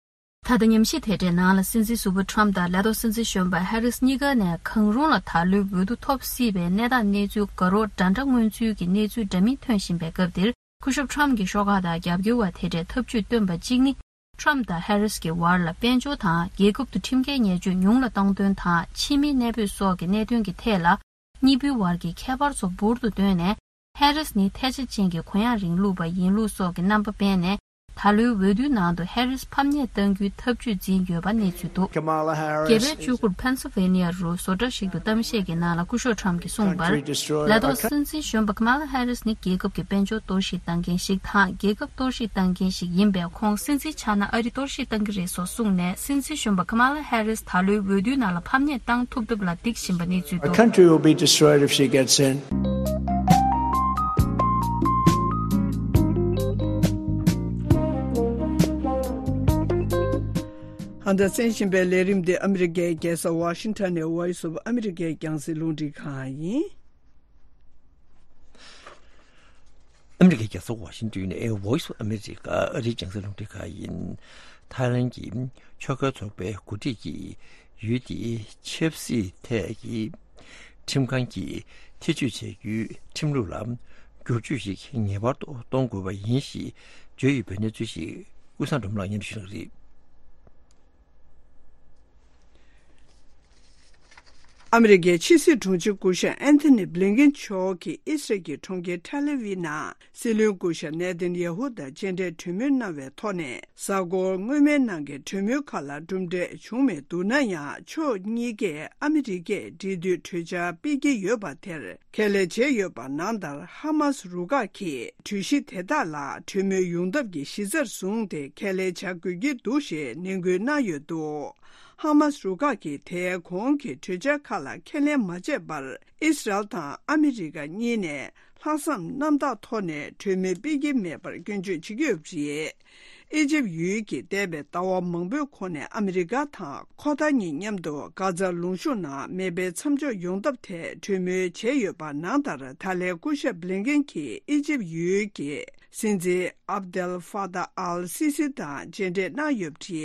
ད་ལྟ་ཉམས་ཞིབ་དེ་འདྲའི་ནང་ལ། སྲིད་འཛིན་ཟུར་པ་ཊམ་དང་ལས་ཐོག་སྲིད་འཛིན་གཞོན་པ་ཧེ་རིས་གཉིས་ཀ་ནས་གང་རུང་ལ་ད་ལོའི་འོས་བསྡུ་ཐོབ་སྲིད་པའི་གནས་སྟངས་གནས་ཚུལ་དགའ་རོགས་འདྲ་འདྲ་མངོན་ཚུལ་གྱི་གནས་ཚུལ་འདྲ་མིན་ཐོན་བཞིན་པའི་སྐབས་འདིར། སྐུ་ཞབས་ཊམ་གྱི་ཤོག་ཁག་དང་རྒྱབ་སྐྱོར་བ་དེ་འདྲས་ཐབས་ཇུས་བཏོན་པ་གཅིག་ནི། ཊམ་དང་ཧེ་རིས་ཀྱི་བར་ལ་དཔལ་འབྱོར་དང་། རྒྱལ་ཁབ་ཏུ་ཁྲིམས་འགལ་ཉེས་སྤྱོད་ཉུང་ལ་གཏོང་དོན་དང་། ཕྱི་མིའི་གནས་སྤོས་སོགས་ཀྱི་གནད་དོན་གྱི་ཐད་ལ། གཉིས་པོའི་བར་གྱི་ཁྱད་པར་ཚོ་འབུར་དུ་བཏོན་ནས། ཧེ་རིས་ནི་ཐལ་ཆ་ཅན་གྱི་གུ་ཡངས་རིང་ལུགས་པ་ཡིན་ལུགས་སོགས་ཀྱི་རྣམ་པ་སྤེལ་ནས། ད་ལོའི་འོས་བསྡུའི་ནང་དུ་ཧེ་རིས་ཕམ་ཉེས་གཏང་རྒྱུའི་ཐབས་ཇུས་འཛིན་ཡོད་པ་གནས་ཚུལ་འདུག Kamala Harris རྒྱལ་བའི་is བཅུ་དགུར་ཕེན་སིལ་ཝེ་ནི་ཡ་རུ་བཟོ་གྲྭ་ཞིག་ཏུ་གཏམ་བཤད་ཀྱི་ནང་ལ་སྐུ་ཞབས་ཊམ་གྱིས་གསུངས་པར། country destroyer ལས་ཐོག་སྲིད་འཛིན་གཞོན་པ་ཀ་མ་ལ་ཧེ་རིས་ནི་རྒྱལ་ཁབ་ཀྱི་དཔལ་འབྱོར་གཏོར་བཤིག་བཏང་མཁན་ཞིག་དང་། རྒྱལ་ཁབ་གཏོར་བཤིག་བཏང་མཁན་ཞིག་ཡིན་པས། ཁོང་སྲིད་འཛིན་ཆགས་ན་ཨ་རི་གཏོར་བཤིག་བཏང་གི་རེད་སོགས་གསུངས་ནས། སྲིད་འཛིན་གཞོན་པ་ཀ་མ་ལ་ཧེ་རིས་ད་ལོའི་འོས་བསྡུའི་ནང་ལ་ཕམ་ཉེས་བཏང་ཐུབ་ཐབས་ལ་འདེགས་བཞིན་པ་གནས་ཚུལ Our འདུག country will be destroyed if she gets in. ད་གསན་བཞིན་པའི་ལས་རིམ་འདི་ཨ་མི་རི་ཀའི་རྒྱལ་ས་ཝ་ཤིང་ཊོན་ནས་Voice of America་རྒྱང་སྲིང་རླུང་འཕྲིན་ཁང་ཡིན། ཨ་མི་རི་ཀའི་རྒྱལ་ས་ཝ་ཤིང་ཊོན་ནས་Voice of America་ཨ་རིའི་རྒྱང་སྲིང་རླུང་འཕྲིན་ཁང་ཡིན། ཐའི་ལན་གྱི་ཕྱོགས་འགལ་ཚོགས་པའི་འགོ་ཁྲིད་ཀྱིས་ཡུལ་དེའི་ཆབ་སྲིད་ཐད་ཀྱི་ཁྲིམས་ཁང་གིས་ཐེ་བྱུས་བྱ་རྒྱུའི་ཁྲིམས་ལུགས་ལ་བསྒྱུར་བཅོས་ཤིག་ངེས་པར་དུ་གཏོང་དགོས་པ་ཡིན་ཞེས་བརྗོད་ཡོད་པའི་གནས་ཚུལ་ཞིག་ཀུན་བཟང་སྒྲོལ་མ་ལགས་སྙན་སྒྲོན་ཞུ་གནང་གི་རེད། ཨ་མི་རི་ཀའི་ཕྱི་སྲིད་དྲུང་ཆེ་སྐུ་ཞབས་ཨན་ཐོ་ནི་བྷི་ལིན་ཀེན་མཆོག་གིས་ཨི་སི་རལ་གྱི་གྲོང་ཁྱེར་ཐེལ་ཨ་ཝི་ནང་སྲིད་བློན་སྐུ་ཞབས་ནེ་ཐན་ཡ་ཧུ་དང་མཇལ་འཕྲད་གྲོས་མོལ་གནང་བའི་ཐོག་ནས། གཟའ་འཁོར་སྔོན་མའི་ནང་གི་གྲོས་མོལ་ཁག་ལ་གྲུབ་འབྲས་བྱུང་མེད་འདུག་ན་ཡང་། ཕྱོགས་གཉིས་ཀས་ཨ་མི་རི་ཀས་འབྲེལ་མཐུད་གྲོས་འཆར་སྤེལ་གྱི་ཡོད་པ་དེར་ཁས་ལེན་བྱས་ཡོད་པ་ནང་ལྟར། ཧ་མཱ་སི་རུ་ཁག་གིས་གྲོས་གཞི་དེ་དག་ལ་གྲོས་མོལ་ཡོང་ཐབས་ཀྱི་གཞི་རྩར་བཟུང་སྟེ་ཁས་ལེན་བྱ་དགོས་ཀྱི་འདུག་ཞེས་ནན་སྐུལ་གནང་ཡོད་འདུག་ཧ་མཱ་སི་རུ་ཁག་གིས་དེའི་གོང་གི་གྲོས་འཆར་ཁག་ལ་ཁས་ལེན་མ་བྱས་པར། ཨི་སི་རལ་དང་ཨ་མི་རི་ཀ་གཉིས་ནས་ལྷག་བསམ་རྣམ་དག་ཐོག་ནས་གྲོས་མོལ་སྤེལ་གྱི་མེད་པར་སྐྱོན་བརྗོད་བྱེད་ཀྱི་ཡོད་པ་རེད། ཨི་ཇིབ་ཡུལ་གྱིས་འདས་པའི་ཟླ་བ་མང་པོའི་གོང་ནས་ཨ་མི་རི་ཀ་དང་ཁོ་ཐར་གཉིས་མཉམ་དུ་གྷ་ཛ་ལུང་གཤོང་ནང་མེ་འཕེན་མཚམས་འཇོག་ཡོང་ཐབས་ཐད་གྲོས་མོལ་བྱས་ཡོད་པ་ནང་ལྟར། ད་ལན་སྐུ་ཞབས་བྷི་ལིན་ཀེན་གྱིས་ཨི་ཇིབ་ཡུལ་གྱི་སྲིད་འཛིན་ཨབ་དེལ་ཧྥ་ཏཱ་ཨལ་སི་སི་དང་མཇལ་འཕྲད་གནང་ཡོད་པ་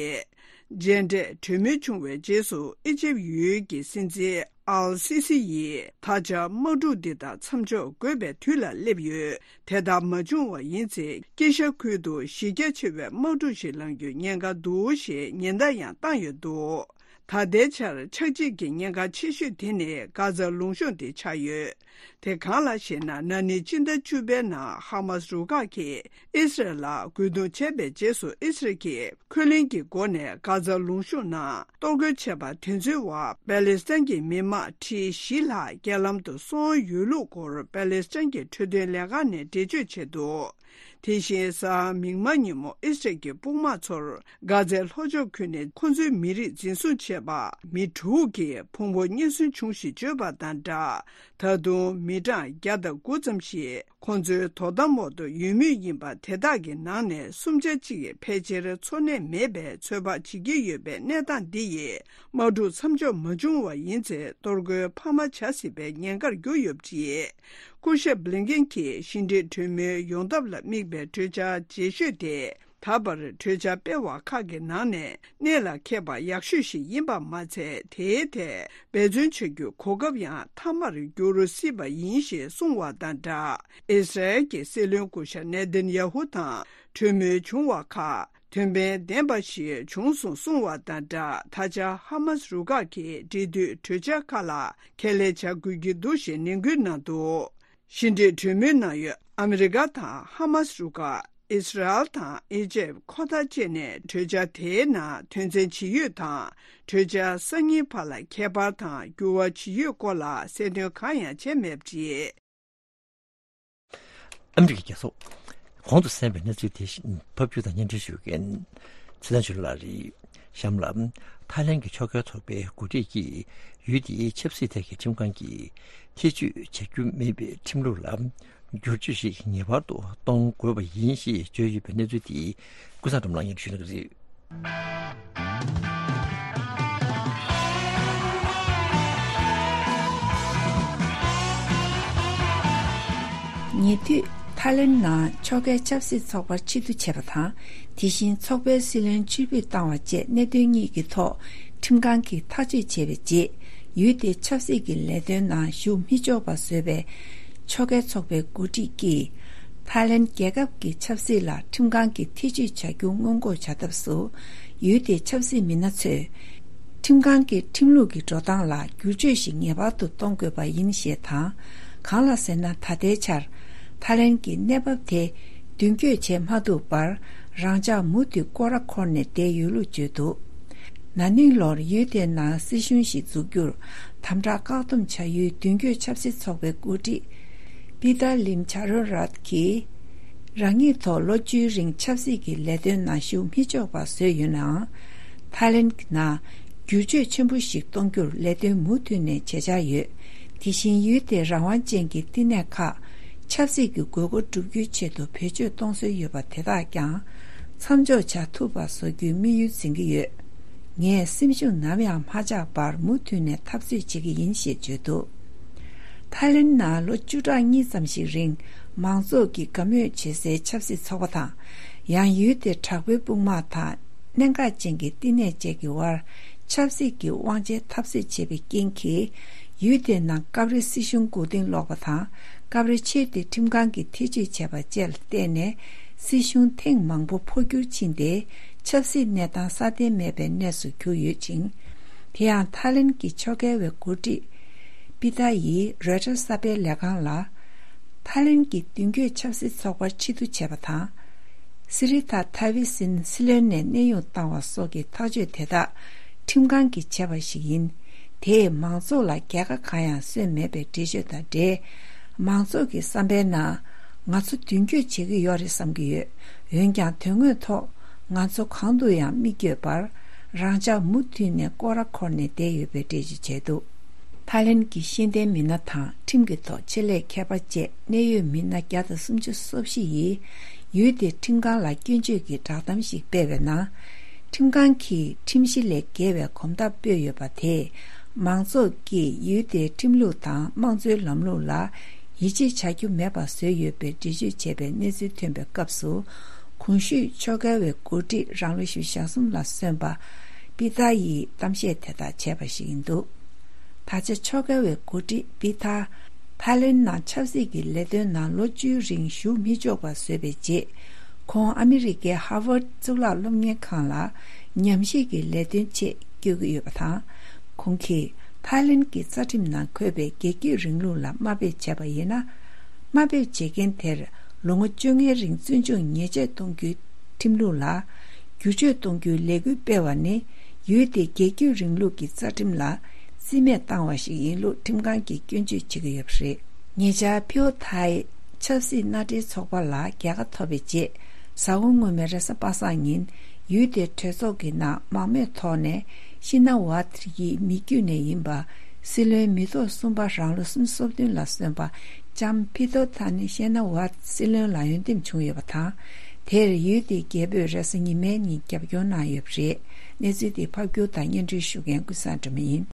རེད། མཇལ་འཕྲད་གྲོས་མོལ་བྱུང་བའི་རྗེས་སུ། ཨི་ཇིབ་ཡུལ་གྱི་སྲིད་འཛིན་ཨལ་སི་སི་ཡིས་ད་ཆ་དམག་འཁྲུག་འདི་དག་མཚམས་འཇོག་དགོས་པའི་དུས་ལ་སླེབས་ཡོད། དེ་ལྟར་མ་བྱུང་བ་ཡིན་ཚེ། དཀྱིལ་ཤར་ཁུལ་དུ་གཞི་རྒྱ་ཆེ་བའི་དམག་འཁྲུག་ཞིག་ལངས་རྒྱུའི་ཉེན་ཁ་འདུག་ཞེས་ཉེན་བརྡ་ཡང་བཏང་ཡོད་འདུག་ད་ལྟའི་ཆར་ཆག་འཇིག་གི་ཉེན་ཁ་ཆེ་ཤོས་དེ་ནི་གྷ་ཛ་ལུང་གཤོང་དེ་ཆགས་ཡོད། དེ་གང་ལགས་ཤེ་ན། ན་ནིང་སྤྱི་ཟླ་བཅུ་པའི་ནང་ཧ་མཱ་སི་རུ་ཁག་གིས་ཨི་སི་རལ་ལ་རྒོལ་རྡུང་བྱས་པའི་རྗེས་སུ། ཨི་སི་རལ་གྱིས་འཁོན་ལན་གྱི་སྒོ་ནས་གྷ་ཛ་ལུང་གཤོང་ནང་གཏོར་རྒོལ་བྱས་པ་དེ་ཚོའི་འོག་པ་ལེ་སི་ཐན་གྱི་མི་དམངས་ཁྲི་བཞི་ལྷག་རྐྱེན་ལམ་དུ་སོང་ཡོད་ལུགས་སྐོར་པ་ལེ་སི་ཐན་གྱི་འཕྲོད་བསྟེན་ལས་ཁང་ནས་འགྲེལ་བརྗོད་བྱས་འདུག་དེ་བཞིན་གཟའ་མིག་དམར་ཉིན་མོ་ཨི་སི་རལ་གྱི་དཔུང་དམག་ཚོར་གྷ་ཛའི་ལྷོ་ཕྱོགས་ཁུལ་ནས་ཁོ་ཚོའི་མི་རིགས་འཛིན་བཟུང་བྱས་པ་མི་དྲུག་གིས་ཕུང་པོ་རྙེད་སོན་བྱུང་ཞེས་བརྗོད་པ་དང་སྦྲགས། ད་དུང་མི་གྲངས་བརྒྱ་དང་དགུ་ཙམ་ཞིག་ཁོ་ཚོའི་དོ་དམ་འོག་ཏུ་ཡོད་མུས་ཡིན་པ། དེ་དག་གི་ནང་ནས་སུམ་ཆ་གཅིག་ཕལ་ཆེར་འཚོ་གནས་མེད་པའི་ཚོད་དཔག་བྱེད་ཀྱི་ཡོད་པའི་གནས་སྟངས་འདི་ཡིས། དམག་འཁྲུག་མཚམས་འཇོག་མ་བྱུང་བ་ཡིན་ཚེ། གཏོར་རྒོལ་འཕར་མ་བྱ་སྲིད་པའི་ཉེན་ཁར་གྱུར་ཡོད་པ་རེད། སྐུ་ཞབས་བྷི་ལིན་ཀེན་གྱིས་ཕྱི་འབྲེལ་གྲོས་མོལ་ཡོང་ཐབས་ལ་དམིགས་པའི་གྲོས་འཆར་ལྗེས་ཤོས་དེ། ད་བར་གྲོས་འཆར་སྤེལ་བ་ཁག་གི་ནང་ནས་གནད་ལ་འཁེལ་བ་ཡག་ཤོས་ཤིག་ཡིན་པ་མ་ཚད། དེའི་ཐད་འབད་བརྩོན་བྱ་རྒྱུའི་གོ་སྐབས་ཡང་མཐའ་མར་འགྱུར་སྲིད་པ་ཡིན་ཞེས་གསུངས་བ་དང་སྦྲགས། ཨི་སི་རལ་གྱི་སྲིད་བློན་སྐུ་ཞབས་ནེ་ཐན་ཡ་ཧུ་དང་གྲོས་མོལ་བྱུང་བ་ཁག་དོན་ཕན་ལྡན་པ་ཞིག་བྱུང་སོང་གསུངས་བ་དང་སྦྲགས། ད་ཆ་ཧ་མཱ་སི་རུ་ཁག་གིས་འབྲེལ་མཐུད་གྲོས་འཆར་ཁག་ལ་ཁས་ལེན་བྱ་དགོས་ཀྱི་འདུག་ཞེས་ནན་སྐུལ་གནང་འདུག་ཕྱི་འབྲེལ་གྲོས་མོལ་གནང་ཡུལ་ཨ་མི་རི་ཀ་དང་ཧ་མཱ་སི་རུ་ཁག་ཨི་སི་རལ་དང་ཨི་ཇེབ། ཁོ་ཐར་བཅས་ནས་གྲོས་འཆར་དེའི་ནང་དོན་ཚན་ཇི་ཡོད་དང་། གྲོས་འཆར་གསར་རྙིང་བར་ལ་ཁྱད་པར་དང་འགྱུར་བ་ཇི་ཡོད་སྐོར་ལ་གསལ་སྟོན་གང་ཡང་བྱས་མེད་པ་རེད། ཨ་མི་རི་ཀའི་རྒྱལ་ས། གོང་དུ་གསན་པའི་གནས་ཚུལ་དེ་བཞིན་ཕབ་སྒྱུར་དང་སྙན་སྒྲོན་ཞུ་མཁན་ཚེ་བརྟན་ཆོས་ལགས་རེད། གཤམ་ལ། ཐའི་ལན་གྱི་ཕྱོགས་འགལ་ཚོགས་པའི་འགོ་ཁྲིད་ཀྱིས་ཡུལ་དེའི་ཆབ་སྲིད་ཐད་ཀྱི་ཁྲིམས་ཁང་གིས་ཐེ་བྱུས་བྱ་རྒྱུ་མེད་པའི་ཁྲིམས་ལུགས་ལ་བསྒྱུར་བཅོས་ཤིག་ངེས་པར་དུ་གཏོང་དགོས་པ་ཡིན་ཞེས་བརྗོད་ཡོད་པའི་གནས་ཚུལ་དེ་ཀུན་བཟང་སྒྲོལ་མ་ལགས་སྙན་སྒྲོན་ཞུ་གནང་གི་རེད། ཉེ་དུས་ཐའི་ལེན་ནང་ཕྱོགས་འགལ་ཆབ་སྲིད་ཚོགས་པར་ཕྱིར་བསྡུ་བྱས་པ་དང་། དེ་བཞིན་ཚོགས་པའི་སྲིད་བློན་ཕྱིར་འབུད་བཏང་བ་བཅས་གནད་དོན་གཉིས་ཀྱི་ཐོག་ཁྲིམས་ཁང་གིས་ཐག་གཅོད་བྱས་པའི་རྗེས། ཡུལ་དེའི་ཆབ་སྲིད་ཀྱི་ལས་དོན་ནང་ཞུགས་མི་ཆོག་པ་བཟོས་པའི་ཕྱོགས་འགལ་ཚོགས་པའི་འགོ་ཁྲིད་ཀྱིས། ཐའི་ལེན་རྒྱལ་ཁབ་ཀྱི་ཆབ་སྲིད་ལ་ཁྲིམས་ཁང་གིས་ཐེ་བྱུས་བྱ་རྒྱུ་སྔོན་འགོག་བྱ་ཐབས་སུ། ཡུལ་དེའི་ཆབ་སྲིད་མི་སྣ་ཚོས། ཁྲིམས་ཁང་གི་ཁྲིམས་ལུགས་ཀྱི་འགྲོ་སྟངས་ལ་བསྒྱུར་བཅོས་ཤིག་ངེས་པར་དུ་གཏོང་དགོས་པ་ཡིན་ཞེས་དང་། གང་ལགས་ཟེར་ན། ད་ལྟའི་ཆར་ཐའི་ལེན་གྱི་གནས་བབ་དེ་མདུན་སྐྱོད་བྱེད་མ་ཐུབ་པར། རང་འཇགས་མུ་མཐུད་སྐོར་ར་འཁོར་ནས་བསྡད་ཡོད་ལུགས་བརྗོད་འདུག་ན་ནིང་ལོར་ཡུལ་དེའི་ནང་སྲིད་གཞུང་ཞིག་འཛུགས་རྒྱུར་དམ་དྲག་བཀག་སྡོམ་བྱ་ཡུལ་མདུན་སྐྱོད་ཆབ་སྲིད་ཚོགས་པའི་འགོ་ཁྲིད་པི་ཏར་ལིམ་ཆ་རོན་རཱད་ཀྱིས། རང་ཉིད་ཐོག་ལོ་བཅུའི་རིང་ཆབ་སྲིད་ཀྱི་ལས་དོན་ནང་ཞུགས་མི་ཆོག་པ་བཟོས་ཡོད་ནའང་། ཐའི་ལེན་གྱི་ནང་བསྒྱུར་བཅོས་ཆེན་པོ་ཞིག་གཏོང་རྒྱུར་ལས་དོན་མུ་མཐུད་ནས་བྱེད་འཆར་ཡོད། དེ་བཞིན་ཡུལ་དེའི་རང་དབང་ཅན་གྱི་བསྟི་གནས་ཁག་ཆབ་སྲིད་ཀྱི་དགོས་མཁོ་བསྒྲུབ་རྒྱུའི་ཆེད་དུ་བེད་སྤྱོད་གཏོང་སྲོལ་ཡོད་པ་དེ་དག་ཀྱང་མཚམས་འཇོག་བྱ་ཐུབ་པ་བཟོ་རྒྱུའི་དམིགས་ཡུལ་འཛིན་གྱི་ཡོད། ངས་སེམས་ཤུགས་ནམ་ཡང་མ་ཆག་པར་མུ་མཐུད་ནས་འཐབ་རྩོད་བྱེད་ཀྱི་ཡིན་ཞེས་བརྗོད་འདུག་ཐའི་ལེན་ནང་ལོ་བཅུ་ཕྲག་གཉིས་ཙམ་ཞིག་རིང་མང་ཚོགས་ཀྱིས་དགའ་མོས་བྱེད་སའི་ཆབ་སྲིད་ཚོགས་པ་དང་། ཡང་ཡུལ་དེའི་དྲག་པོའི་དཔུང་དམག་དང་གནད་འགག་ཅན་གྱི་བསྟི་གནས་བཅས་ཀྱི་དབར་ཆབ་སྲིད་ཀྱི་དབང་ཆའི་འཐབ་རྩོད་བྱས་པའི་རྐྱེན་གྱིས། ཡུལ་དེའི་ནང་སྐབས་རེ་སྲིད་གཞུང་མགོ་རྟིང་སློག་པ་དང་། སྐབས་རེ་ཆེས་མཐོའི་ཁྲིམས་ཁང་གིས་ཐེ་བྱུས་བྱས་པ་བཅས་ལ་བརྟེན་ནས། སྲིད་གཞུང་ཐེངས་མང་པོ་འཕོ་འགྱུར་ཕྱིན་ཏེ། ཆབ་སྲིད་གནས་སྟངས་སྲ་བརྟན་མེད་པའི་གནས་སུ་གྱུར་ཡོད་ཅིང་། དེ་ཡང་ཐའི་ལེན་གྱི་ཕྱོགས་འགལ་བའི་འགོ་ཁྲིད་པི་ཐ་ཡིས་རོའི་ཊར་གསར་སྤེལ་ལས་ཁང་ལ། ཐའི་ལེན་གྱི་མདུན་སྐྱོད་ཆབ་སྲིད་ཚོགས་པར་ཕྱིར་བསྡུ་བྱས་པ་དང་། སི་རི་ཐ་ཐ་ཝི་སིན་སྲིད་བློན་ནས་གནས་དབྱུང་བཏང་བ་སོགས་ཀྱི་ཐག་གཅོད་དེ་དག་ཁྲིམས་ཁང་གིས་བྱས་པ་ཞིག་ཡིན། དེས་མང་ཚོགས་ལ་རྒྱལ་ཁ་གང་ཡང་སོན་མེད་པའི་འགྲེལ་བརྗོད་དང་འབྲེལ། མང་ཚོགས་ཀྱི་བསམ་པའི་ནང་ང་ཚོ་མདུན་སྐྱོད་བྱེད་ཀྱི་ཡོད་རེད་བསམ་གྱི་ཡོད། འོན་ཀྱང་དོན་དངོས་ཐོག་ང་ཚོ་གང་དུ་ཡང་མི་བསྐྱོད་པར་རང་འཇགས་མུ་མཐུད་ནས་སྐོར་ར་འཁོར་ནས་བསྡད་ཡོད་པའི་འགྲེལ་བརྗོད་བྱས་འདུག་ཐའི་ལེན་གྱི་ཤེས་ལྡན་མི་སྣ་དང་ཁྲིམས་ཀྱི་ཐོག་ཆེད་ལས་མཁས་པ་བཅས་གནད་ཡོད་མི་སྣ་བརྒྱ་དང་སུམ་ཅུ་སོ་བཞི་ཡིས་ཡུལ་དེའི་ཁྲིམས་ཁང་ལ་སྐྱོན་བརྗོད་ཀྱི་བསྒྲགས་གཏམ་ཞིག་སྤེལ་བའི་ནང་། ཁྲིམས་ཁང་གིས་ཁྲིམས་གཞི་ལས་འགལ་བའི་གོམ་སྟབས་སྤོས་ཡོད་པ་དེས། མང་ཚོགས་ཀྱིས་ཡུལ་དེའི་ཁྲིམས་ལུགས་དང་དམངས་གཙོའི་ལམ་ལུགས་ལ་ཡིད་ཆེས་བྱ་རྒྱུ་མེད་པ་བཟོས་ཡོད་པའི་འགྲེལ་བརྗོད་བྱས་པའི་གནས་ཚུལ་ཐོན་པའི་སྐབས་སུ། གོང་ཞུས་ཕྱོགས་འགལ་བའི་འགོ་ཁྲིད་རང་ལོ་ཞེ་གསུམ་ལ་སོན་པ་པི་ཐ་ཡིས་གཏམ་བཤད་དེ་དག་བྱས་པ་ཞིག་ཡིན་འདུག་ད་ཆ་ཕྱོགས་འགལ་བའི་འགོ་ཁྲིད་པི་ཐ། ཐའི་ལེན་ནང་ཆབ་སྲིད་ཀྱི་ལས་དོན་ནང་ལོ་བཅུའི་རིང་ཞུགས་མི་ཆོག་པ་བཟོས་པའི་རྗེས། ཁོང་ཨ་མི་རི་ཀའི་ཧར་ཝརཌ་གཙུག་ལག་སློབ་གཉེར་ཁང་ལ་ཉམས་ཞིབ་ཀྱི་ལས་དོན་ཆེད་བསྐྱོད་ཀྱི་ཡོད་པ་དང་། ཁོང་གིས་ཐའི་ལེན་གྱི་རྩ་ཁྲིམས་ནང་འཁོད་པའི་རྒྱལ་རྒྱུད་རིང་ལུགས་ལ་དམའ་འབེབས་བྱས་པ་ཡིན་ན། དམའ་འབེབས་བྱེད་མཁན་དེར་ལོ་ངོ་བཅོ་ལྔའི་རིང་བཙོན་འཇུག་ཉེས་ཆད་གཏོང་རྒྱུའི་ཁྲིམས་ལུགས་ལ་བསྒྱུར་བཅོས་གཏོང་རྒྱུའི་ལས་འགུལ་སྤེལ་བ་ནི། ཡུལ་དེའི་རྒྱལ་རྒྱུད་རིང་ལུགས་ཀྱི་རྩ་ཁྲིམས་ལ་རྩིས་མེད་བཏང་བ་ཞིག་ཡིན་ལུགས་ཁྲིམས་ཁང་གིས་སྐྱོན་བརྗོད་བྱེད་ཀྱི་ཡོད་པ་རེད། ཉེ་ཆར་ཕིའུ་ཐའི་ཆབ་སྲིད་མནའ་འབྲེལ་ཚོགས་པ་ལ་རྒྱལ་ཁ་ཐོབ་པའི་རྗེས། གཟའ་འཁོར་སྔོན་མའི་རེས་གཟའ་པ་སངས་ཉིན། ཡུལ་དེའི་གྲོས་ཚོགས་ཀྱི་ནང་མང་མོས་ཐོག་ནས་ཤི་ན་ཝ་ཐི་ཡི་མི་བརྒྱུད་ནས་ཡིན་པ། སྲིད་བློན་མི་ཐོག་གསུམ་པ་རང་ལོ་སུམ་ཅུ་སོ་བདུན་ལ་སོན་པ་ལྕམ་ཕི་ཐོ་ཐ་ནི་ཤེ་ན་ཝ་སྲིད་བློན་ལ་འོས་འདེམས་བྱུང་ཡོད་པ་དང་། དེར་ཡུལ་དེའི་རྒྱལ་པོས་རེས་གཟའ་ཉི་མའི་ཉིན་རྒྱབ་སྐྱོར་གནང་ཡོད་པ་རེད། གནས་ཚུལ་དེ་ཕབ་སྒྱུར་དང་སྙན་སྒྲོན་ཞུ་མཁན་ཀུན་བཟང་སྒྲོལ་མ་ཡིན།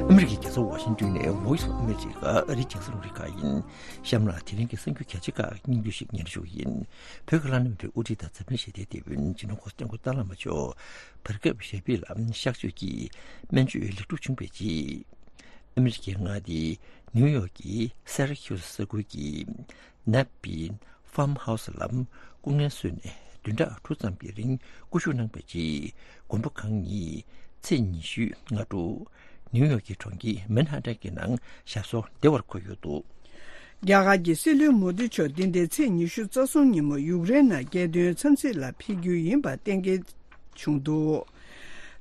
ཨ་མི་རི་ཀའི་རྒྱལ་ས་ཝ་ཤིང་ཏོན་ནས་Voice of America ཨ་རིའི་རྒྱང་སྲིང་རླུང་འཕྲིན་ཁང་ཡིན། གཤམ་ལ་དེ་རིང་གི་གསར་འགྱུར་གལ་ཆེ་ཁག་སྙིང་བསྡུས་ཤིག་སྙན་སྒྲོན་ཞུ་གི་ཡིན། བོད་ཀྱི་བླ་ན་མེད་པའི་དབུ་ཁྲིད་དང་འཛམ་གླིང་ཞི་བདེའི་དེད་དཔོན་སྤྱི་ནོར་གོང་ས་སྐྱབས་མགོན་ཏཱ་ལའི་བླ་མ་མཆོག་བར་སྐབས་ཞབས་པུས་ལ་གཤགས་བཅོས་ཀྱིས་སྨན་བཅོས་ལེགས་གྲུབ་བྱུང་བའི་རྗེས། ཨ་མི་རི་ཀའི་མངའ་སྡེ་ནིའུ་ཡོག་གི་སེ་ར་ཁིའུ་ས་ཁུལ་གྱི་ནེབ་པིན་ཧྥམ་ཧའུ་སི་ལ་སྐུ་ངལ་གསོས་ནས་བདུན་ཕྲག་དྲུག་ཙམ་གྱི་རིང་སྐུ་བཞུགས་གནང་བའི་རྗེས། མགོན་པོ་གང་ཉིད་ཚེས་ཉི་ཤུའི་སྔ་དྲོ་ནིའུ་ཡོག་གི་གྲོང་ཁྱེར་མན་ཧ་ཏན་གྱི་ནང་ཞབས་སོར་བདེ་བར་འཁོད་ཡོད་འདུག་རྒྱ་གར་གྱི་སྲིད་བློན་མོ་དི་མཆོག་འདི་ཟླའི་ཚེས་ཉི་ཤུ་རྩ་གསུམ་ཉིན་མོ་ཡུཀ་རེན་ནང་རྒྱལ་དོན་འཚམས་གཟིགས་ལ་ཕེབས་རྒྱུ་ཡིན་པ་གཏན་འཁེལ་བྱུང་འདུག་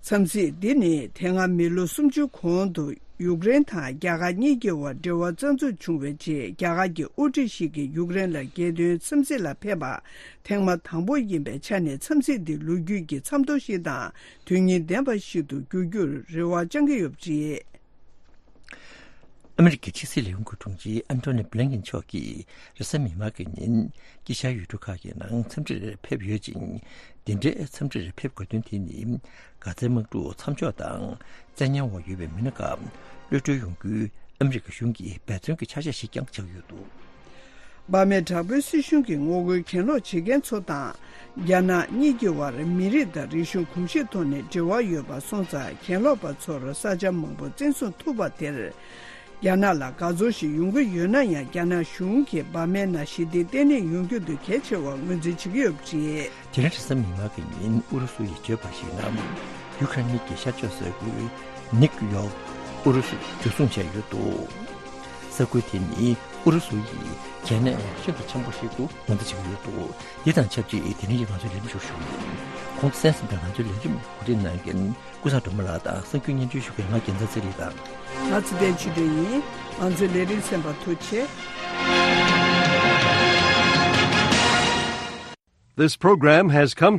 འཚམས་གཟིགས་འདི་ནི་དེ་སྔ་མི་ལོ་སུམ་ཅུ་གོང་དུ་ཡུཀ་རེན་དང་རྒྱ་གར་གཉིས་ཀྱི་དབར་འབྲེལ་བ་རྩ་འཛུགས་བྱུང་བའི་རྗེས། རྒྱ་གར་གྱི་དབུ་ཁྲིད་ཞིག་གིས་ཡུཀ་རེན་ལ་རྒྱལ་དོན་འཚམས་གཟིགས་ལ་ཕེབས་པ་ཐེངས་མ་དང་པོ་ཡིན་པའི་ཆ་ནས། འཚམས་གཟིགས་འདི་ལོ་རྒྱུས་ཀྱི་མཚམས་ཐོ་ཞིག་དང་དོན་སྙིང་ལྡན་པ་ཞིག་ཏུ་འགྱུར་རྒྱུར་རེ་བ་བཅང་གི་ཡོད་པ་རེད། ཨ་མི་རི་ཀའི་ཕྱི་སྲིད་ལས་ཁུངས་ཀྱི་དྲུང་ཆེ་ཨན་ཐོ་ནི་བྷི་ལིན་ཀིན་མཆོག་གིས་རེས་གཟའ་མིག་དམར་གྱི་ཉིན་དཀྱིལ་ཤར་ཡུལ་གྲུ་ཁག་གི་ནང་འཚམས་འདྲིར་ཕེབས་ཡོད་ཅིང་། འདི་འདྲའི་འཚམས་འདྲིར་ཕེབས་དགོས་དོན་དེ་ནི། གྷ་ཛའི་དམག་འཁྲུག་མཚམས་འཇོག་དང་བཙན་ཉར་འོག་ཡོད་པའི་མི་སྣ་ཁག་གློད་གྲོལ་ཡོང་རྒྱུའི་ཨ་མི་རི་ཀ་གཞུང་གི་འབད་བརྩོན་གྱི་ཆ་ཤས་ཤིག་ཀྱང་ཆགས་ཡོད་འདུག་འབར་མའི་དྲག་པོའི་སྲིད་གཞུང་གི་ངོ་རྒོལ་གྱེན་ལོག་བྱེད་མཁན་ཚོ་དང་། རྒྱ་ནག་གཉིས་ཀྱི་དབར་མི་རིགས་དང་རིག་གཞུང་གོམས་གཤིས་ཐོག་ནས་འབྲེལ་བ་ཡོད་པ་སོང་ཙང་། གྱེན་ལོག་པ་ཚོར་ས་ཆ་མང་པོ་བཙན་བཟུང་ཐུབ་པ་དེར། རྒྱ་ནག་ལ་དགའ་ཚོར་ཞིག་ཡོང་གི་ཡོད་ན་ཡང་། རྒྱ་ནག་གཞུང་གིས་འབར་མའི་ནང་ཞི་བདེ་བརྟན་ལྷིང་ཡོང་རྒྱུ་དེ་གལ་ཆེ་བར་ངོས་འཛིན་བྱེད་ཀྱི་ཡོད་པ་རེད། དེ་རིང་རེས་གཟའ་མིག་དམར་གྱི་ཉིན་ཨུ་རུ་སུ་ཡིས་བརྗོད་པར་གཞིགས་ན། ཡུ་ཁ་རེན་གྱི་ཤར་ཕྱོགས་ས་ཁུལ་ནིག་ཡོག་ཨུ་རུ་སུས་འཇུ་བཟུང་བྱས་ཡོད་འདུག་ས་ཁུལ་དེ་ནི་ཨུ་རུ་སུ་ཡིས་གལ་གནད་ཤིན་ཏུ་ཆེན་པོ་ཞིག་ཏུ་ངོས་འཛིན་བྱེད་ཀྱི་ཡོད་འདུག་འདི་དང་ཆབས་ཅིག་དེ་རིང་གི་ང་ཚོའི་ལས་རིམ་ཞུགས་ཞུ་ཡིན། གོང་དུ་གསན་ཟིན་པའི་ང་ཚོའི་ལས་རིམ་གོ་སྒྲིག་གནང་མཁན་ཀུན་བཟང་སྒྲོལ་མ་ལགས་དང་གསར་འགྱུར་སྙན་སྒྲོན་ཞུ་མཁན་ང་རྒྱལ་མཚན་ཚེ་རིང་དང་། ང་ཚེ་བརྟན་ཆོས་སྒྲོན་ཡིན། ང་ཚོའི་ལས་རིམ་གསན་པར་ཐུགས་རྗེ་ཆེ། This program has come